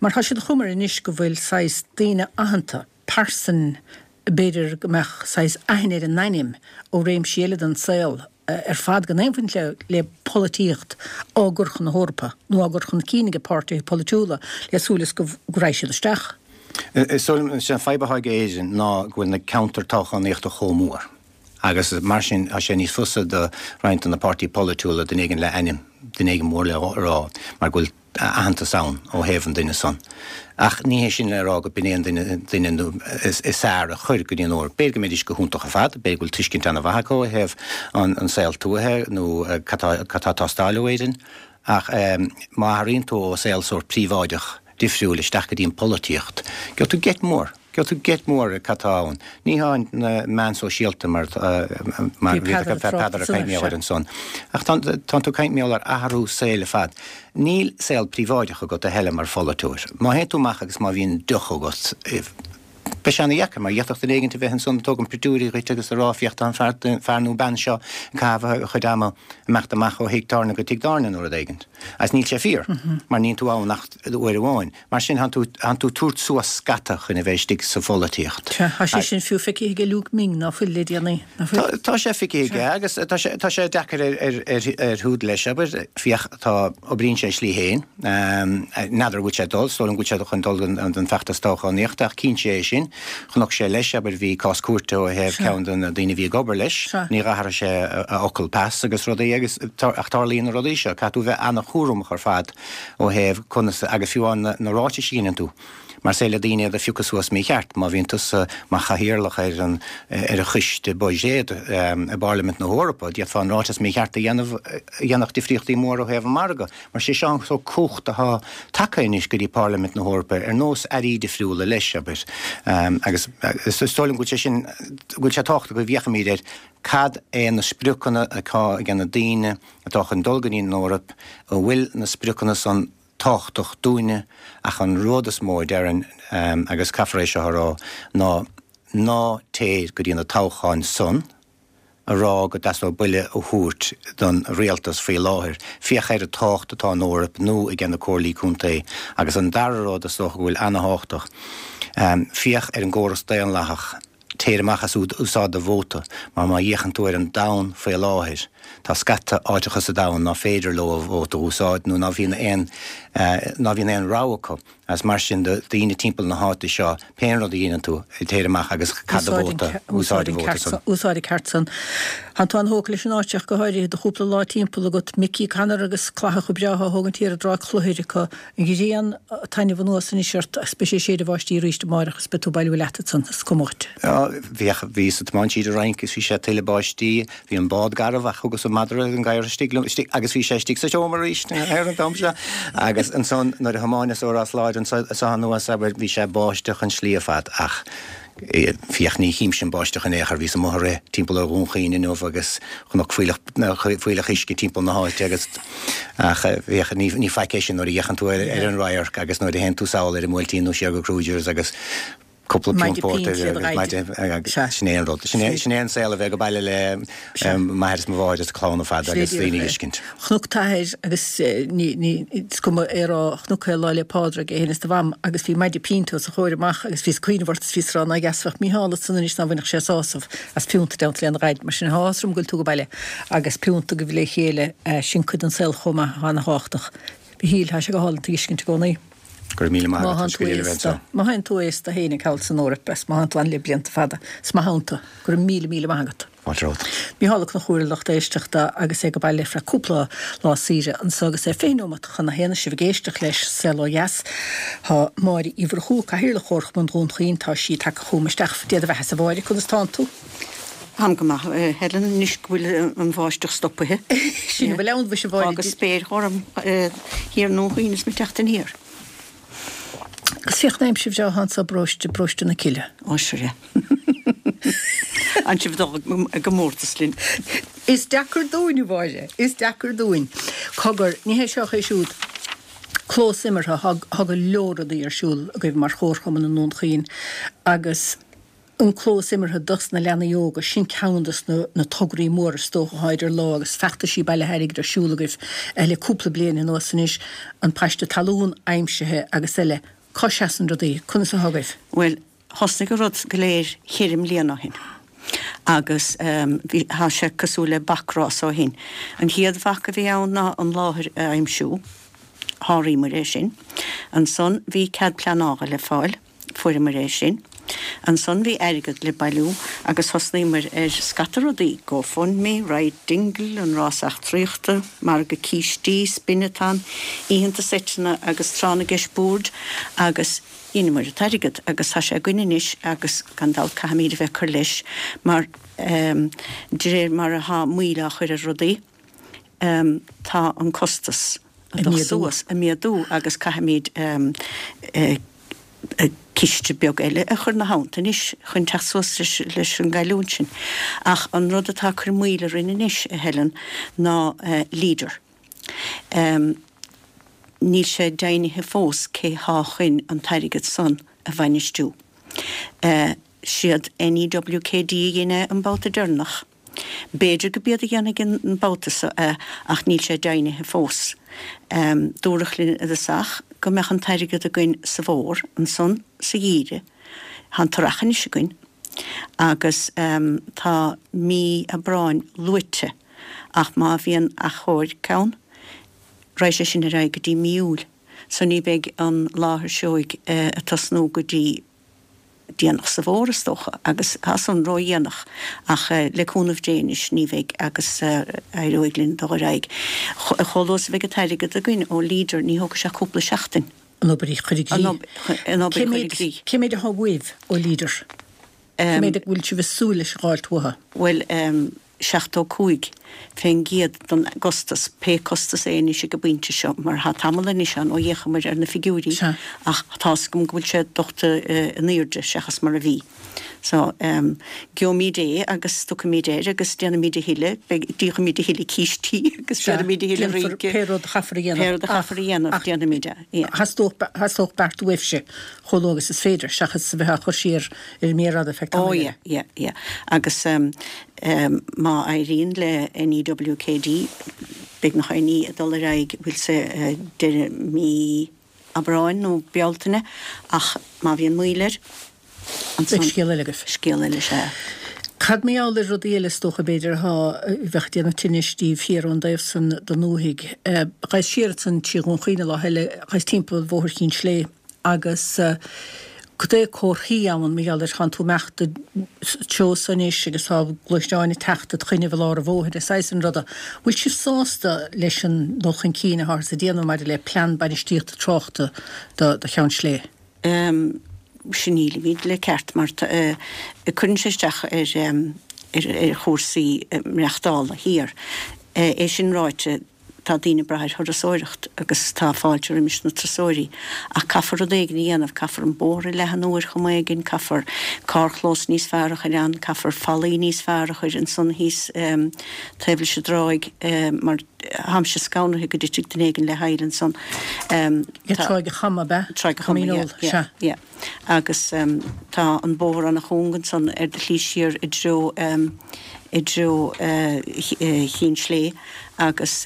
mar tá sé de chuma air anois go bhfuil saghas daoine aitheanta, pearsain b'fhéidir go mbeadh saghas aithne ar a n-ainm ó réimsí eile den saol ar fad gan aon bhaint le le polaitíocht á gcur chun na hEorpa nó á gcur chun cinn ag páirtithe polaitiúla le súil is go raghaidh siad isteach. Is dóigh liom, sé an fadhb atá ag Éirinn ná go bhfuil na ceantair toghchánaíochta chomh mór. Agus mar sin, tá sé níos fusa do roinnt de na páirtí polaitiúla duine éigin le ainm, duine éigin mór le rá, mar go bhfuil aitheantas ann ó thaobh an duine san. Ach ní hé sin le rá go b'in é an duine, duine is fearr a chur go dtí an Eoraip. B'fhéidir go mbeidís go hiontach ar fad, b'fhéidir go bhfuil tuiscint an-mhaith acu ó thaobh an saol tuaithe nó cad tá, cad tá ag teastáil ó Éirinn. Ach má athraíonn tú ó saol sórt príobháideach difriúil isteach go dtí an pholaitíocht, gheobhaidh tú geit mór. Gheobhaidh tú geit mór ar cad tá ann. Ní hamháin na meáin sóisialta mar mar Bhí Peadar ag Peadar ag caint mar gheall air ansan. Ach tá tánn tú ag caint mar gheall ar athrú saoil ar fad. Níl saol príobháideach agat a thuilleadh mar pholaiteoir. Má théann tú amach agus má bhíonn deoch agat, beidh sé ana-dheacair mar d'fhéadfadh duine éigint a bheith ansan ag tógaint pictiúirí dhuit agus a rá féach tá an fear fear nó bean seo ag caitheamh a chuid ama ag imeacht amach ó thigh tábhairne go tigh tábhairne nó rud éigint. Agus níl sé fíor mar níonn tú ann ach uair amháin. Mar sin, thánn tú, thánn tú tabhairt suas scata chun a bheith istigh sa pholaitíocht. Sea, tá sé sin fiú feicthe aige Luke Ming, ná fuil, le déanaí, ná fuil? Tá, tá sé feicthe aige agus tá sé, tá sé deacair ar, ar, ar, ar Shiúd leis, abair, féach, tá, oibríonn sé a shlí féin, n'fheadar an bhfuil sé ag dul, is dóigh liom go bhfuil sé chun dul don, don feachtas toghchánaíochta ach cinnte é sin, chonac sé leis, abair, bhí cás cúirte ó thaobh ceann de na daoine a bhí ag obair leis, níor athraigh sé a, a fhocal pas agus rudaí agus, ach tarlaíonn na rudaí seo, caithfidh tú a bheith ana-chúramach ar fad. ó thaobh conas agus fiú amháin na ráitis a dhéanann tú, mar is féidir le daoine iad a phiocadh suas mícheart. Má bhíonn tusa mar chathaoirleach ar an ar an choiste buiséid i bParlaimint na hEorpa, d'fhéadfá an ráiteas mícheart a dhéanamh a dhéanfadh difríochtaí móra ó thaobh an mhargaidh. Mar sé seo an sórt cumhacht atá tagtha anois go dtí Parlaimint na hEorpa ar nós airí difriúla leis, abair. Agus is dóigh liom go bhfuil sé sin, go bhfuil sé tábhachtach go bhféachfaimid ar cad é na spriocanna atá ag na daoine atá chun dul go dtí an Eoraip, an bhfuil na spriocanna san tábhachtach dúinne ach an rud is mó a déarfainn, agus caithfear é seo a rá, ná ná téir go dtí na toghcháin san a rá go dteastódh buille a thabhairt don rialtas faoi láthair. Féach ar an tábhacht atá an Eoraip nó aige na comhairlí contae. Agus an dara rud is dócha go bhfuil ana-thábhachtach, féach ar an gcóras daonlathach. Téir amach is úsáid do vóta, mar má fhéachann tú ar an domhan faoi láthair, tá scata áiteacha sa domhan ná féidir leo a vóta a úsáid nó ná bhíonn aon ná bhíonn aon rogha acu. Agus mar sin do daoine timpeall na háite seo, pé rud a dhéanann tú, téir amach agus caith do vóta, úsáid an vóta san. Úsáid an ceart san. Tánn tú an-thógtha leis an áit ach go háirithe, do chúpla lá timpeall agat, Micí Connor agus clathacha breátha á thógaint thiar i dTrá Chlochair acu. An ghrian ag taitneamh anuas anois ort agus beidh sé ag séideadh báistí arís amáireach agus beidh tú ag bailiú leat ansan, is cuma dhuit. Bhíodh, bhíos ag tiomáint tríd an Fhrainc agus bhí sé ag tuilleadh báistí, bhí an bád garbh ach thugas an madra an gadhar istigh liom, istigh, agus bhí sé istigh sa seomra arís ar an t-am seo. Agus ansan nuair a thiomáineas ó Ros Láir anso anuas, abair, bhí sé ag báisteach an slí ar fad ach, Féach, ní chímse an báisteach in aon chor, bhíos amuigh ag rith timpeall ar Dhún Chaoin inniu agus chonac fuílleach, fuílleach uisce timpeall na háite agus, ach féach, ní, ní faic é sin nuair a fhéachann tú ar, ar an radharc agus nuair a théann tú sall ar an mBuailtín nó siar go Kruger's agus. Cúpla punt pórtair agus maide agus sin é an rud. Sin é an saol a bheith ag baile le m'athair is mo mháthair is a clann ar fad agus daoine a fheiscint. Chonac t'athair agus ní, is cuma é a rá, chonac é Lá 'le Pádraig, é féin is do mham agus bhí maide pínte os a chomhair amach agus bhíos ag cuimhneamh ort is bhíos ag rá ná dheas a bheadh Mícheál ansan anois ná bhainfeadh sé sásamh as piúnta i dteannta lena dhaid. Mar sin tá áthas orm go bhfuil tú ag baile agus piúnta agaibh le chéile, sin cuid den saol chomh maith atá ana thábhachtach. Mhichíl, tá sé go hálainn tú a fheiscint i gcónaí. Go raibh míle maith agat, tá sé go diail a bheith anseo. Má théann tú aosta féin ag thall san Eoraip is má théann tú ann le blianta fada, is maith ann tú. Go raibh míle míle maith agat. Fáilte romhat. Mícheál Ó Conchúir a lucht éisteachta agus é ag baile feadh cúpla lá saoire anso agus é 20 nóimeat chun a haon is sibh ag éisteacht leis Saol Ó Dheas. Tá Máire Uí Mhurchú, Cathaoirleach Chomharchumann Dhún Chaoin, tá sí tagtha chugam isteach. Dia do bheatha-sa a Mháire, conas tánn tú? Táim go maith, a Helen, anois go bhfuil an bháisteach stoptha. Sin a bhfuil ann, mhuise a Mháire. Fágadh spéir ghorm thiar i nDún Chaoin is mé ag teacht aniar. Agus féach an aimsir bhreá atá anso i bparóiste, bparóiste na Cille. Ó, sure. An sibh ag dul i gcomórtas linn. Is deacair dúinn, a Mháire, is deacair dúinn. Cogar, ní hé seo ach é siúd. Clós imeartha, tá go leor rudaí ar siúl agaibh mar chomharchumann i nDún Chaoin agus, An clós imeartha dos na leanaí óga, sin ceann dos na tograí móra is dócha atá idir lámha agus feachtaisí bailithe airgid ar siúl agaibh le cúpla bliain anuas anois, an paiste talún aimsithe agus eile. Cá seasann rudaí? Conas atá agaibh? Bhuel, thosnaigh an rud go léir cheithre mbliana ó shin agus bhí, tá sé cosúil le bacrás ó shin. An chéad bhac a bhí ann ná an láthair a aimsiú, sháraíomar é sin. Ansan bhí cead pleanála le fáil. Fuaireamar é sin. Ansan bhí airgead le bailiú agus thosnaíomar ar scata rudaí, GoFundMe, Ride Dingle, an rás eachtraíochta, margadh cístí, spin-a-thon, oícheanta seiteanna agus tráth na gceist boird agus dheineamar an t-airgead agus tá sé againn anois agus gan dabht caithfimíd a bheith ag cur leis mar de réir mar atá moill á chur ar rudaí tá an costas ag dul suas, ag méadú agus caithfimid ciste beag eile a chur 'na theannta anois chun teacht suas leis an gcailliúint sin. Ach an rud atá ag cur moill orainn anois, a Helen, ná Leader. Níl sé deimhnithe fós cé thá chun an t-airgead san a bhainistiú. Siad NEWKD a dhein é an babhta deireanach. B'fhéidir go b'iad a dhéanfaidh an babhta so é ach níl sé deimhnithe fós. Dúradh linn i dtosach go mbeadh an t-airgead againn sa bhfómhar, ansan sa gheimhreadh. Tá an t-earrach anois againn agus tá mí Aibreáin luaite ach má bhíonn achomhairc ann raghaidh sé sin ar aghaidh go dtí mí Iúil so ní bheidh an láthair seoigh ag tosnú go dtí déanach sa bhfómhar is dócha, agus tá san ródhéanach, ach le cúnamh Dé anois ní bheidh agus éireoidh linn dul ar aghaidh. Chomh luath is a bheidh an t-airgead againn ó Leader, ní thógfaidh sé ach cúpla seachtain. An obair a chur i gcrích. An obair a chur i gcrích. Cé méid atá uaibh ó Leader? Cé méid a bhfuil sibh ag súil leis a dh'fháilt uathu? Bhuel, 75 fén gcéad den gcostas, pé costas é anois ag an bpointe seo, mar tá tamall anois ann ó d'fhéachamar ar na figiúirí ach tá's agam go bhfuil sé dulta in aoirde seachas mar a bhí. So, gheobhaimíd é agus tiocfaimíd air agus déanfaimíd a thuilleadh, beidh, díolfaimíd a thuilleadh cístí agus déanfaimíd a thuilleadh rince. Pé rud a chaithfear a dhéanamh. Pé rud a chaithfear a dhéanamh, déanfaimíd é. Yeah. Theastódh beart uaibhse chomh luath agus is féidir, seachas a bheith á chur siar ar an méar fhada feadh tamaill eile. Oh yeah, yeah, yeah. Agus má éiríonn le NEWKD, beagnach aon ní ag dul ar aghaidh, bhfuil sé deireadh mí Aibreáin nó Bealtaine, ach má bhíonn moill air, ansan. Beidh scéal eile agaibh. Scéal eile, sea. Cad mar gheall ar rudaí eile is dócha, b'fhéidir, atá, a bheadh ag déanamh tinnis daoibh thiar ón dtaobh san den ndúthaigh. Ghabhas siar ansan trí Dhún Chaoin an lá eile, ghabhas timpeall Bhóthar Chinn Slé agus cad é comharthaí ann mar gheall ar thánn tú imeacht an treo so anois agus tá gluaisteáin ag teacht id choinnibh i lár an bhóthair is saghas an ruda. Bhfuil sibh sásta leis an dul chun cinn atáthar ag déanamh maidir le plean bainistíochta tráchta do Cheann Slé? Sea nílimid le ceart mar cuireann sé isteach ar chúrsaí maireachtála thiar. É sin ráite, Tá daoine ag brath ar thurasóireacht agus tá fáilte roimis na turasóirí ach caithfear rud éigin a dhéanamh, caithfear an bóthar a leathnú ar chuma éigin, caithfear carrchlós níos fearr a chur ann, caithfear fallaí níos fearr a chur ansan thíos taobh leis an dtráigh mar. Tháimse scanraithe go dtitfeadh duine éigin le haill ansan. Tá. Tráigh a' Chama, ab ea? Tráigh a' Chama, yeah, yeah, yeah. Agus tá an bóthar ana-chúng ansan ar do shlí siar i dtreo, i dtreo Chinn Slé agus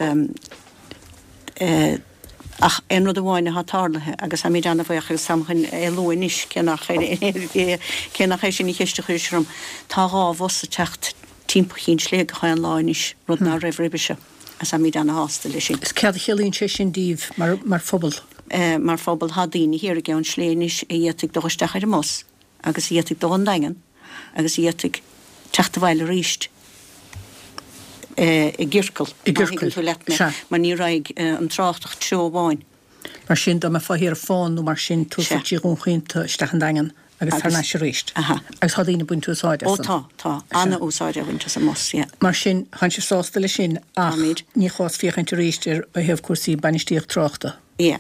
ach aon rud amháin atá tarlaithe agus táimid ana-bhuíoch agus táim chun é a lua anois cé nach cé nach é sin an cheist a chuiris orm, tá 2 bhus ag teacht timpeall Chinn Slé gach aon lá anois, rud ná raibh roimhe seo, agus táimid ana-shásta leis sin. Is céard a chiallaíonn sé sin daoibh mar, mar phobal? Mar phobal, tá daoine thiar i gCeann Slé anois a d'fhéadfaidh dul isteach ar an mbus agus a d'fhéadfaidh dul 'on Daingean agus a d'fhéadfaidh teacht abhaile aríst i gciorcal, I má thuigeann tú leat mé, mar ní raghaidh an trácht ach treo amháin. Mar sin, dá mbeifeá thiar ar fán nó mar sin, tabharfá trí Dhún Chaoin tú isteach an Daingean agus thar n-ais arís. Aha. Agus tá daoine ag baint úsáid as Ó tá, tá. Ana-úsáid á bhaint as an mbus, yeah. Mar sin, tánn sibh sásta leis sin ach Táimid. ní chás féachaint arís ar ó thaobh cúrsaí bainistíocht tráchta. Yeah,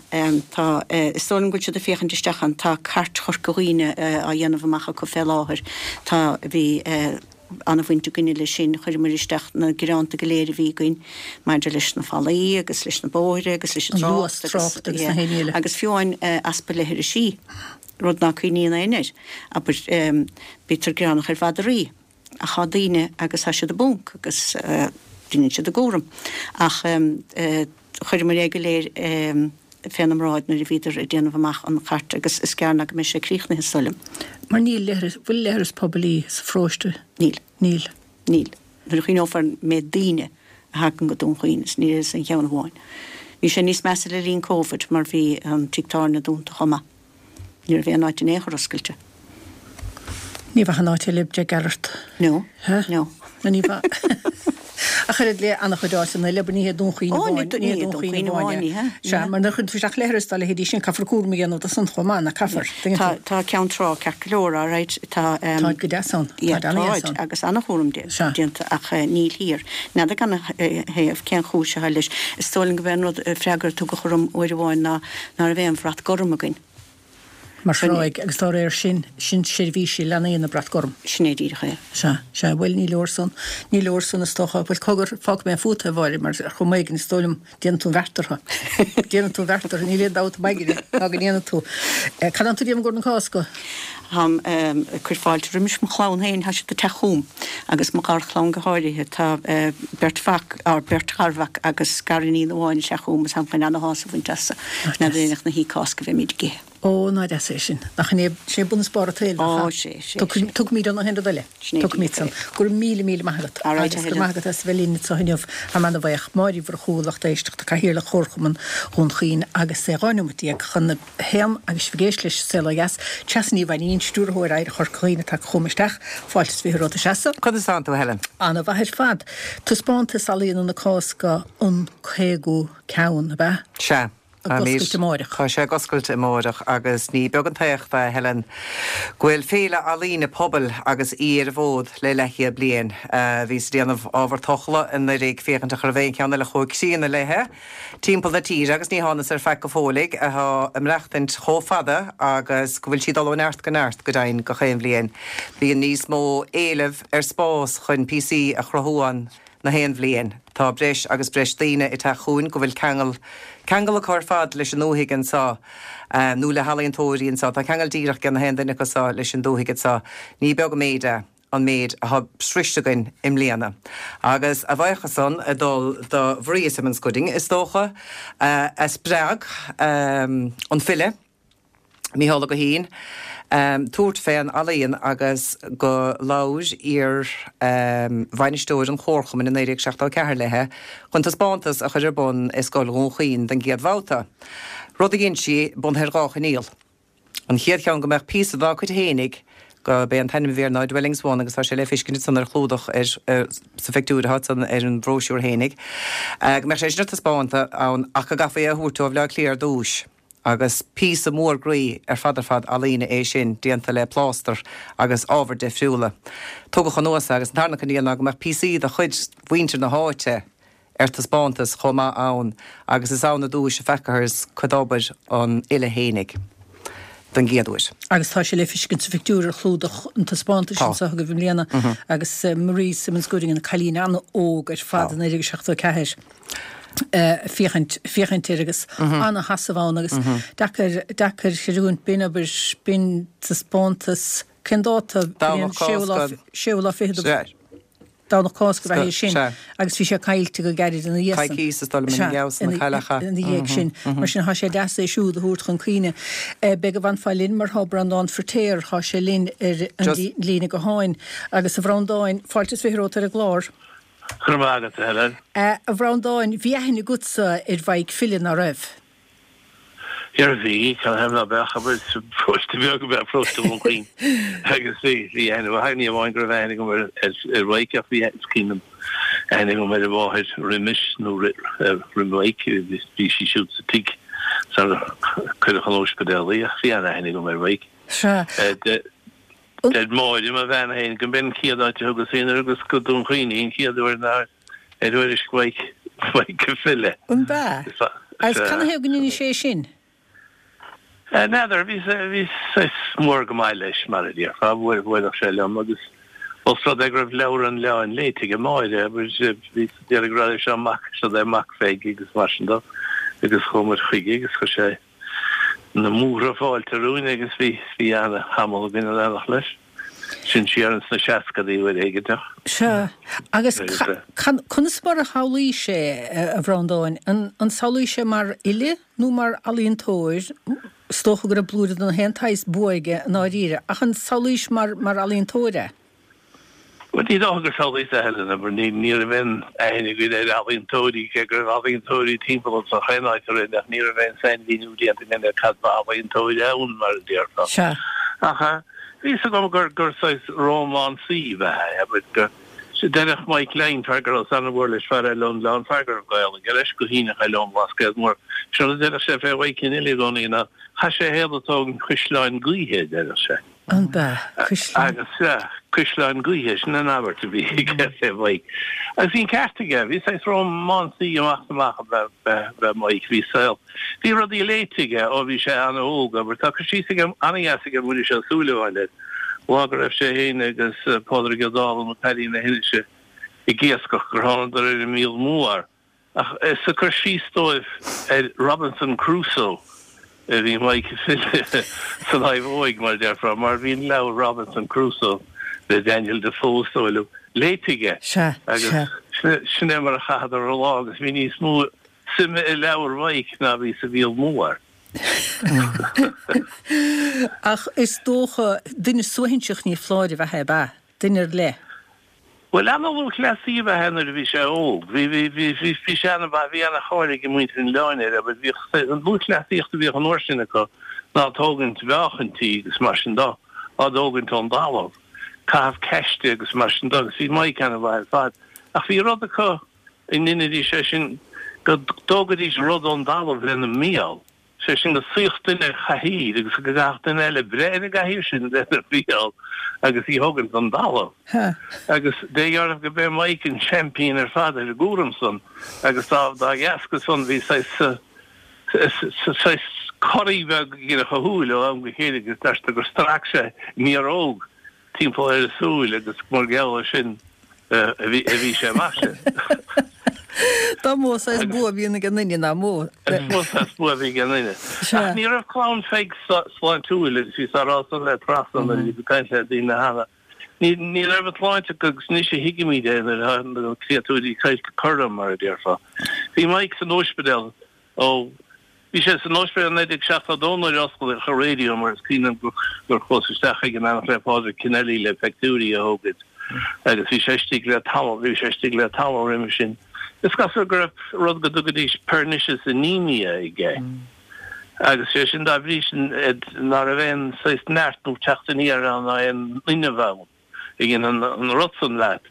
tá. Is dóigh liom go bhfuil siad ag féachaint isteach ann. Tá Cairt Chorca Dhuibhne á dhéanamh amach acu fé láthair. Tá, bhí an-bhaint againne leis sin. Chuireamar isteach na gearánta go léir a bhí againn maidir leis na fallaí agus leis na bóithre agus leis an trácht agus, agus na haon ní eile. Agus fiú amháin easpa leithrisí, rud ná cuimhníonn éinne air. Abair, bítear gearánach ar mhadraí ach tá daoine agus tá siad i bponc agus deineann siad a gcúram. Ach chuireamar é go léir féna mbráid nuair a bhíodar ag déanamh amach an chairt agus is gearr ná go mbeidh sé críochnaithe, is dóigh liom. Mar níl leithreas, bhfuil leithreas poiblí sa pharóiste? Níl. Níl. Níl. Nuair a chuimhneofar an méid daoine a thagann go Dún Chaoin is níl aon cheann amháin. Bhí sé níos measa le linn Covid mar bhí an tigh tábhairne dúnta chomh maith. Ní raibh aon áit in aon chor oscailte. Ní bheadh an áit eile dead gearrt. No. No. No ní bheadh. Ach oiread le an-chuid áiteanna eile, ní hé Dún Chaoin amháin. Ó, ní hé Dún Chaoin amháin, ní hea. Sea, mar nuair a chuireann tú isteach leithreas dá leithéidí sin, caithfear cúram a dhéanamh de san chomh maith, nach caithfear? Tuigeann tú? Tá Ceann Trá ceart go leor, all right, tá. Táid go deas ann. Táid an-deas ann. Agus an-chúram déanta ach níl thiar. N'fheadar gan a thaobh cén chúis atá leis. Is dóigh liom go b'é an rud, freagra a tugadh orm uair amháin ná ná raibh aon bhrat gorm againn. Mar thráigh, agus dá réir sin, sin seirbhísí leanaí na brat gorm. Sin é díreach é. Sea, sea, bhuel, ní leor san, ní leor san is dócha. Bhuel, cogar, fágfaidh mé fút é, a Mháire, mar ar chuma éigin, is dóigh liom, déanann tú an bheart orthu. Déanann tú an bheart orthu, níl aon dabht i m'aigne ná go ndéanann tú. Cad tánn tú ag déanamh i gcomhair na Cásca? Táim ag cur fáilte roimis mo chlann féin, tá siad ag teacht chugam, agus mo gharchlann go háirithe. Tá beirt mhac, or beirt gharmhac agus gariníon amháin ag teacht chugam agus táim chun ana-shásamh a bhaint astu. N'fheadar in éineacht na hOíche Cásca a bheimid ag ithe. Ó, ná deas é sin. Nach in é, sin é bun is barr an tsaoil, nach ea? Ó, sé, sé, sé. Tugaimid an aon rud eile. Sin é Tugaimid san. Go raibh míle, míle maith agat. All right, Agus go raibh maith agat as a bheith linn anseo inniu. Táim ana-bhuíoch. Máire Uí Mhurchú, lucht éisteachta, Cathaoirleach Chomharchumann Dhún Chaoin agus é 12 nóimeat chun a haon agus sibh ag éisteacht leis an Saol Ó Dheas, Treasa Ní Mhainín, Stiúrthóir Oidhreacht Chorca Dhuibhne atá chugam isteach. Fáilte is 20 romhat a Threasa. Conas tánn tú, a Helen? Ana-mhaith ar fad. Taispeántas Ealaíona na Cásca an 50ú ceann, ab ea? Sea. Ag oscailt amáireach. Tá sé ag oscailt amáireach agus ní beag an t-éacht é, a Helen, go bhfuil féile ealaíne pobail agus í ar an bhfód le leathchéad bliain. Bhíos ag déanamh ábhar tochla anuraidh ag féachaint an raibh aon cheann eile chomh críonna léithe timpeall na tíre agus ní thánas ar faic go fóilligh atá ag maireachtaint chomh fada agus go bhfuil sí ag dul ó neart go neart go deimhin gach aon bhliain. Bíonn níos mó éileamh ar spás chun píosaí a chruthú ann na haon bhliain. Tá breis agus breis daoine ag teacht chugainn go bhfuil ceangal, ceangal acu ar fad leis an ndúthaigh anseo, nó le healaíontóirí anseo. Tá ceangal díreach ag na haon duine acu seo leis an dúthaigh anseo. Ní beag an méid é an méid atá sroiste againn i mbliana. Agus a bhuíochas san ag dul do Mharia Simmons-Gooding, is dócha, a spreag an file, Mícheál Ó Guithín, tabhairt fén ealaíon agus go labhair iar bhainisteoir an Chomharchumainn i 1974 léithe chun taispeántas a chur ar bun i Scoil Dhún Chaoin den gcéad bhabhta, rud a dhein sí bunaithe ar dhá choinníoll. An chéad cheann go mbeadh píosa dá cuid fhéinig, go b'é an t-ainm a bhí air ná Dwellings One agus tá sé le feiscint ansan ar chlúdach ar sa phictiúr atá ansan ar an bhróisiúr fhéinig, go mbeadh sé sin ar taispeánt ann ach go gcaithfí é a thabhairt ó Bhleá Cliath ar dtúis. Agus píosa mór groí ar fad ar fad ealaíne é sin, déanta le plástar agus ábhair difriúla. Tugadh anuas é agus an tarna coinníoll ná go mbeadh píosaí de chuid mhuintir na háite ar taispeántas chomh maith ann agus is ann i dtúis a feacathas cuid d'obair an fhile fhéinig don gcéad uair. Agus tá sé le feiscint sa phictiúr ar chlúdach an taispeántais Tá. anseo agaibh i mbliana agus Marie Simmons Gooding ina cailín an-óg ar fad Tá. i 1974. Féachaint, féachaint air agus ana-sheasamh ann agus deacair, deacair creidiúint, b'in obair, b'in taispeántas, cén dáta? Domhnach Cásca. Séú lá fichead de. Domhnach Cásca ab ea é sin agus bhí sé caillte go gairid ina dhiaidh san. Coicís is dóigh liom ina dhiaidh san a cailleadh é. Ina dhiaidh sin. Mar sin tá sé deas é siúd a thabhairt chun cuimhne. Beidh go bhfanfá linn mar thá Breandán Feiritéar, thá sé linn ar an líne gutháin. Agus a Bhreandáin, fáilte is 20 romhat ar an gclár. Go raibh maith agat, a Helen. A Bhreandáin, bhí aithne agatsa ar Mhaidhc File, ná raibh? Ar bhí, canathaobh ná beadh, abair, paróiste beag ab ea paróiste Dhún Chaoin agus bhí, bhí aithne mhaith, ní amháin go raibh aithne agam ar, ar, ar Mhaidhc ach bhí, is cuimhin liom, aithne agam ar a mháthair roimis nó roimh Mhaidhc, bhí sí siúd sa tigh sar cuireadh chun óispidéal í ach bhí an-aithne agam ar Mhaidhc. Sea. Deir Máire, mo bhean féin, go mb'in an chéad áit a thugas féin ar thugas go Dún Chaoin í an chéad uair ná ar thuairisc Mhaidhc Mhaidhc an File. An b'ea? Agus canathaobh go ndeineadh sé sin? N'fheadar, bhí bhí saghas mór go maith leis, mar a déarfá, bhuailfeadh sé liom agus ós rud é go raibh Leabhar an Oileáin léite aige Máire, bhí déarfainn go raibh seo mac, seo é mac Pheig agus mar sin dó agus chuaigh muid chuige agus chuir sé na múrtha fáilte romhainn agus bhí bhí ana-thamall againn in éineacht leis. Sin siar ins na seascadaí uair éiginteach. Sea. Agus conas mar a shamhlaís é, a Bhreandáin? An samhlaís é mar fhile nó mar ealaíontóir? Is dócha go raibh blúire de na haon tsaghas bua aige i ndáiríre, ach an samhlaís mar mar ealaíontóir é? Bhuel, ní dócha gur samhlaíos é, a Helen, abair, ní, ní raibh aon aithne againn ar ealaíontóirí, cé go raibh ealaíontóirí timpeall anso chaon áit a raibh, ach ní raibh aon sainmhíniú déanta againn ar cad ba ealaíontóir ann, mar a déarfá. Sea. Ach bhí fhios agam gur, gur saghas rómánsaí ab ea é, abair, go, deireadh Mike Lyne, fear go rabhas an-mhór leis, fear eile ón Oileán, fear go raibh gaol aige leis go hiontach eile ón mBlascaod Mór, sin rud a deireadh sé fé Mhaidhc an Fhile i gcónaí ná, chaith sé a shaol ag tógaint cuisleáin gaoithe, a deireadh sé. An b'ea? Cuisleán. Agus sea, cuisleáin gaoithe, sin an abairt a bhí aige fé Mhaidhc. Agus bhí an ceart aige, bhí saghas rómánsaí amach is amach ab ea Maidhc, bhí saol, bhí rudaí léite aige ó bhí sé an-óg, abair. Tá cur síos aige, an-dheas aige Muiris Ó Súilleabháin air, lá go raibh sé féin agus Pádraig Ó Dálaigh nó Paddy na hInise ag iascach gur thánadar ar an Mhíol Mór. Ach is ag cur síos dóibh ar Robinson Crusoe a bhí Maidhc an File san fhadhb óig, mar a déarfá, mar bhí an leabhar Robinson Crusoe le Daniel Defoe, is dóigh liom, léite aige. Sea, Agus sea. sin é mar a chaitheadar an lá agus bhí níos mó suime i leabhar Mhaidhc ná bhí sa Mhíol Mór. Ach is dócha, duine suaithinseach ní foláir ab ea é, ab ea? Duine ar leith. Bhuel, ana-lúthchleasaí ab ea é nuair a bhí sé óg. Bhí, bhí, bhí, bhí, bhí sé ana-mhaith, bhí ana-cháil ag muintir an oileáin air, abair. Bhíodh, an lúthchleasaíocht a bhíodh an uair sin acu ná tógaint mheáchaintí agus mar sin de, á dtógaint ón dtalamh, caitheamh ceiste agus mar sin de, agus bhí Mike ana-mhaith ar fad. Ach bhí rud acu a ndeinidís é sin, go dtógaidís rud ón dtalamh lena mbéal. Sé sin go suíodh duine ar chathaoir agus go gcaithfeadh duine eile breith ar an gcathaoir sin lena bhéal agus í thógaint ón dtalamh. Agus deirtear go b'é Mike an seaimpín ar fad ar an gcúram san agus dá dá dheasca san bhí saghas saghas corraí beag ag a shúil ó am go chéile agus deirtear gur strac sé mearóg timpeall ar a súil agus mar gheall ar sin a bhí sé mar sin. Dá mó saghas bua a bhíonn ag an nduine, ná mó. Is mó saghas bua a bhí ag an nduine. Ach ní raibh clann Pheig sláintiúil agus bhíos á rá san le Treasa nuair a bhíos ag caint le daoine cheana. Ní raibh an tsláinte acu agus anois a thuigimid é nuair atá na créatúirí curtha, mar a déarfá. Bhí Mike san óispidéal Ó, bhí sé san ospidéal i 1972 nuair a osclaíodh an raidió mar is cuimhin liom gur chuas isteach chuige in éineacht le Pádraig Kennelly le peictiúirí a thógaint agus bhí sé istigh le tamall, bhí sé istigh le tamall roimhe sin. Is cosúil go raibh rud go dtugaidís pernicious anemia aige agus sé sin dá bhrí sin ná raibh aon saghas neart nó teacht aniar ann ná aon fhuinneamh ann a dhein an rud san leat.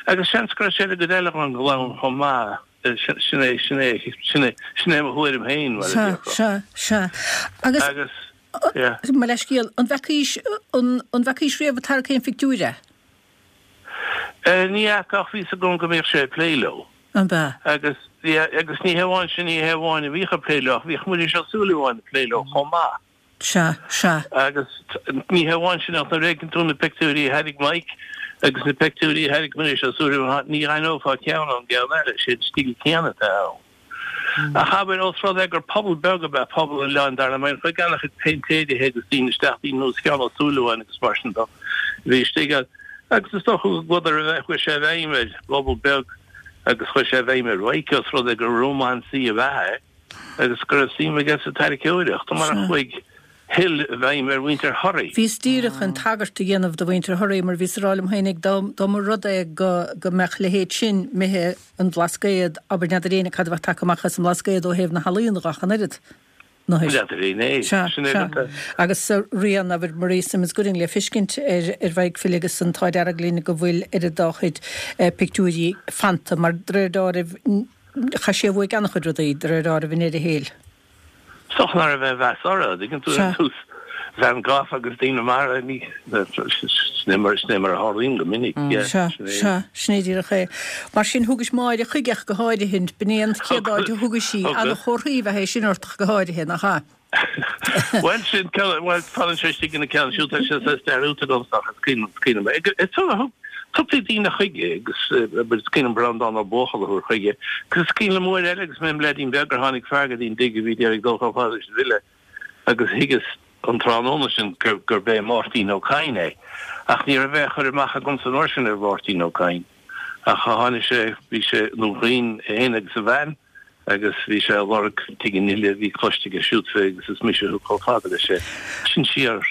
Agus seans go raibh sé ar an gcuid eile den gclann chomh maith. Sin é, sin é, sin é, sin é mo thuairim féin, mar a Sea, déarfá. sea, sea. Agus, Agus, yeah. mo leithscéal, an bhfeacaís, an, an bhfeacaís riamh ag tarrac aon phictiúir é? Eh, ní fhaca ach bhí 's agam go mbíodh sé ag plé leo. An b'ea? Agus, yeah, agus ní hé amháin sin, ní hé amháin a bhíodh ag plé leo ach bhíodh Muiris Ó Súilleabháin ag plé leo chomh maith. Sea, sea. Agus ní hé amháin sin ach nuair a fheiceann tú na peictiúirí a thairg Mike agus na peictiúirí a thairg Muiris Ó Súilleabháin, ní aithneofá ceann ón gceann eile, sé an stíl céanna atá ann. Ach abair, ós rud é gur pobal beag ab ea pobal an oileáin, dar liom, chuaigh an-chuid péintéirithe agus daoine isteach, daoine ar nós Sheán Ó Súilleabháin agus mar sin dó, a bhí istigh ann. Agus is dócha go gcuadar a bheith, chuaigh sé i bhfeidhm ar bpobal beag agus chuaigh sé i bhfeidhm ar Mhaidhc, ós rud é gur rómánsaí ab ea é agus go raibh suim aige sa tarraiceoireacht, mar a chuaigh Hill i bhfeidhm ar mhuintir Thoraí. Bhíos díreach chun tagairt a dhéanamh do mhuintir Thoraí mar bhíos ag rá liom féinig dá mba rud é go go mbeadh a leithéid sin imithe an Bhlascaod, abair n'fheadar éinne cad a bheadh tagtha amach as an mBlascaod ó thaobh na healaíona dhe ach an oiread. N'fheadar éinne é. Sea, Sin é sea. rud é. Agus rian, abair, Maria Simmons Gooding le feiscint ar ar Mhaidhc Phil agus an t-ádh dearg linn go bhfuil oiread dá chuid pictiúirí fanta mar de réir deáraimh chaith sé uaidh an-chuid rudaí de réir deáraimh i ndeireadh a shaoil. Is dócha nach raibh aon mheas orthu, an dtuigeann tú, ar nós Van Gogh agus daoine mar, ní, sin é mar, sin é mar a tharlaíonn go minic, yeah, Sea, sin é. sea, sin é díreach é. Mar sin, thugais Máire chuige ach go háirithe, b'in é an chéad áit a thugais í, Thugas. Ana-chomharthaí ab ea é sin ort ach go háirithe, nach ea? Bhuel, sin ceann, bhuel, fanann sé istigh ina ceann siúd, tá sé saghas dearúdta agamsa ach is cuimhin, is cuimhin liom é. Is thug, tugtaí daoine chuige agus, is cuimhin liom Breandán Ó Buachalla a thabhairt chuige, agus is cuimhin liom uair eile agus mé im leaidín beag gur tháinig fear go dtí an dtigh a bhí ag iarraidh dul chomh fada leis an bhfile agus thuigeas an tráthnóna sin gurb é Máirtín Ó Cadhain é. Ach ní raibh aon chur amach agamsa an uair sin ar Mháirtín Ó Cadhain. Ach tháinig sé, bhí sé i nDún Chaoin, é féin agus a bhean, agus bhí sé ag lorg tigh an fhile, bhí cloiste aige siúd fé agus is mise a thug chomh fada leis é. Sin siar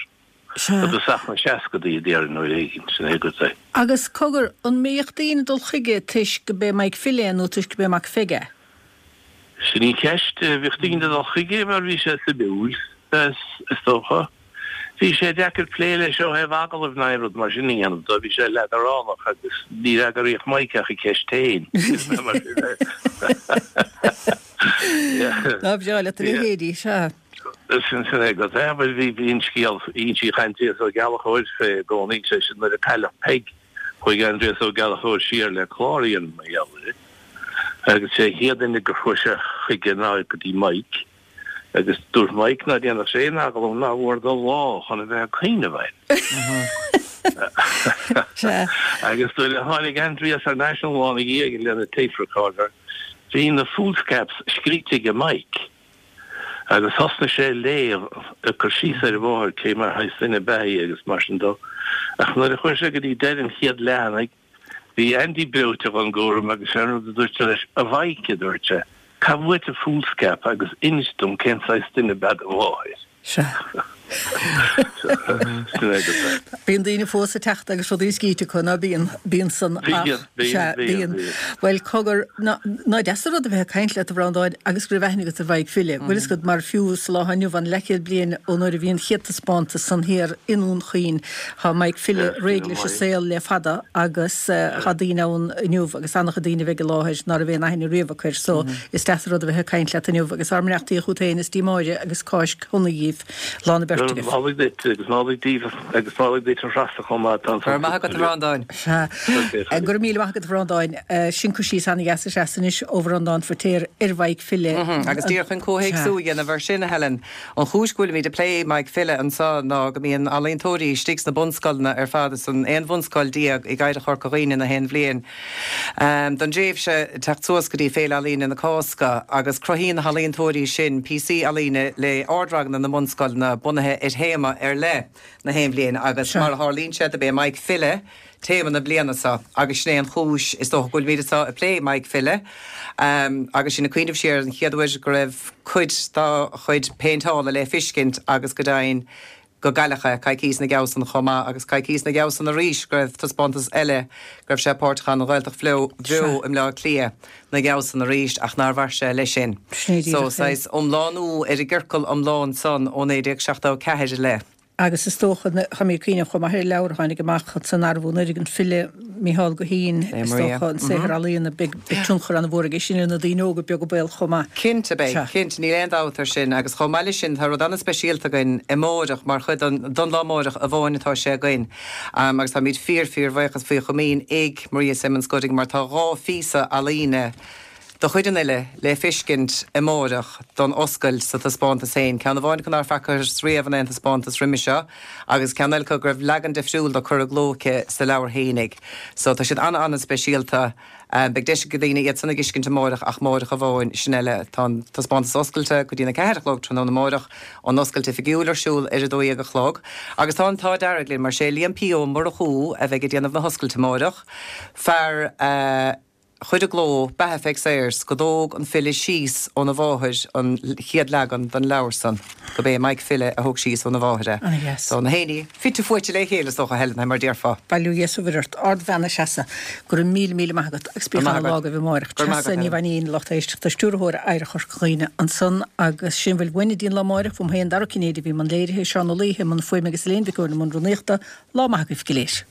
i dtosach na seascadaí a déarfainn uair éigin, sin é agat é. Agus cogar, an mbíodh daoine ag dul chuige toisc go b'é Maidhc Phil é nó toisc go b'é mac Pheig é? Sin í an cheist. Bhíodh daoine ag dul chuige mar bhí sé suimiúil, is dócha. Bhí sé deacair plé leis ó thaobh agallaimh ná aon rud mar sin a dhéanamh dó, bhí sé leadránach agus ní fhreagraíodh Maidhc ach an cheist féin. Ná breá leat a leithéidí, sea. Sin sin é agat é. Bhuel bhí bhí an scéal insíodh Aindrias Ó Gallchóir fé i gcónaí, sé sin nuair a cailleadh Peig, chuaigh Aindrias Ó Gallchóir siar le clár a dhéanamh mar gheall uirthi agus sé an chéad duine gur chuaigh sé chuige ná go dtí Mike agus dúirt Mike ná déanfadh sé aon agallamh ná bhfuair dó lá chun a bheith ag cuimhneamh air. Sea. Agus nuair a tháinig Aindrias thar n-ais an lá ina dhiaidh lena tape recorder bhí na foolscaps scríte aige Mike. Agus thosnaigh sé ag léamh, ag cur síos ar a mháthair, cé mar shaghas duine ab ea í agus mar sin dó. Ach nuair a chuaigh sé go dtí deireadh an chéad leathanaigh, bhí Andy breoite dhon gcúram agus sé an rud a dúirt sé leis, 'A Mhaidhc, a dúirt sé, 'gabh uait an foolscap agus inis dom cén saghas duine ab ea do mháthair. Sea. Sin é agat é. Bíonn daoine fós ag teacht agus rudaí scríte acu, ná bíonn? Bíonn san ach, Bíonn, bíonn, sea, bíonn, bíonn. bíonn. Bhuel, cogar, ná, ná deas an rud a bheith ag caint leat, a Bhreandáin, agus go raibh aithne agat ar Mhaidhc Phile. Bhfuil fhios agat, mar fiú sa lá atá inniu ann, leathchéad bliain ó nuair a bhí an chéad taispeántas san thiar i nDún Chaoin, tá Maidhc Phile Sea, réidh sin leis an é. saol le fada agus tá daoine ann inniu agus an-chuid daoine a bheidh i láthair ná raibh aon aithne riamh acu air so Is deas an rud a bheith ag caint leat inniu agus ár mbeannachtaí chugat féin is dtí Máire agus Cáisc shona dhíbh. Lá na beirte agaibh. Nollaig duit agus Nollaig díbh agus Nollaig duit a Threasa chomh maith. Tá an Go raibh maith agat a Bhreandáin. Sea. Go raibh míle maith agat a Bhreandáin. Sin cur síos ana-dheas a Threasa anois ó Bhreandán Feiritéar ar Mhaidhc Phile. Agus díreach chun comhthéacsú a dhéanamh ar sin, a Helen, an chúis go bhfuilimid ag plé Maidhc Phile anseo ná go mbíonn ealaíontóirí istigh sna bunscoileanna ar fad, san 11 bhunscoil i gCathair Chorca Dhuibhne na haon bhliain. Don dtréimhse teacht suas go dtí Féile Ealaíne na Cásca agus cruthaíonn na healaíontóirí sin píosaí ealaíne le ardranganna na mbunscoileanna bunaithe ar théama ar leith na haon bhliain agus mar a tharlaíonn sé dob é Maidhc Phile téama na bliana seo agus sin é an chúis is dócha go bhfuilimid anseo ag plé Maidhc Phile agus sinn ag cuimhneamh siar ar an chéad uair go raibh cuid dá chuid péinteála le fiscint agus go deimhin go gcailleadh é coicíos ina dhiaidh san chomh maith agus coicíos ina dhiaidh san arís go raibh taispeántas eile go raibh sé páirteach ann an Ghaeltacht Bheo i mBleá Cliath ina dhiaidh san arís ach nár mhair sé leis sin. So saghas iomlánú ar an gciorcal iomlán san ó 1974 i leith. Agus is dócha, tá mé ag cuimhneamh chomh maith ar an leabhar a tháinig amach san arbhú anuraidh, an file Micheál Guithín, is dócha, an saothar ealaíona, beidh tionchar an-mhór aige sin ar na daoine óga beag an baol chomh maith. Cinnte beidh, cinnte, níl aon dabht ar sin. Agus chomh maith leis sin, tá rud an-speisialta againn amáireach mar chuid den, don lá amáireach amháin atá sé againn. Agus táimid fíor, fíor bhuíochas faoi chomaoin ag Maria Simmons Gooding mar tá dhá phíosa ealaíne. De chuid an fhile le feiscint amáireach don oscailt sa taispeántas féin, ceann amháin acu nár facthas riamh in aon taispeántas roimis seo agus ceann eile acu go raibh leagan difriúil de curtha i gcló aici sa leabhar fhéinig. So tá siad ana-ana-speisialta. Beidh deis ag daoine iad san a dh'fheiscint amáireach ach amáireach amháin, sin eile. Tá an taispeántas oscailte go dtí'n 4 a chlog tráthnóna amáireach, an oscailt oifigiúil ar siúl ar 12 a chlog agus tá an t-ádh dearg linn mar sé Liam P. Ó Murchú a bheidh ag déanamh na hoscailte amáireach, fear a. chuir i gcló Beatha Pheig Sayers go dtóg an file síos óna mháthair an chéad leagan den leabhar san, gurb é Maidhc File a thóg síos óna mháthair é. Ana-dheas. So, na héinní fite fuaite le chéile is dócha, Helen, mar déarfá. Bail ó Dhia is ó Mhuire ort. Ardbhean a Threasa. Go raibh míle míle maith agat agus Go bíodh maith ana lá agat. agaibh amáireach. Go raibh maith Treasa agat, Ní Helen. Mhainín, lucht éisteachta, Stiúrthóir Oidhreacht Chorca Dhuibhne ansan agus sin a bhfuil uainn go dtí an lá amáireach. Uaim féin, Dara Ó Cinnéide a bhí i mbun léirithe, Seán Ó Laoithe i mbun fuaime agus Elaine Mhic Eoin i mbun rúnaíochta. Lá maith agaibh go léir.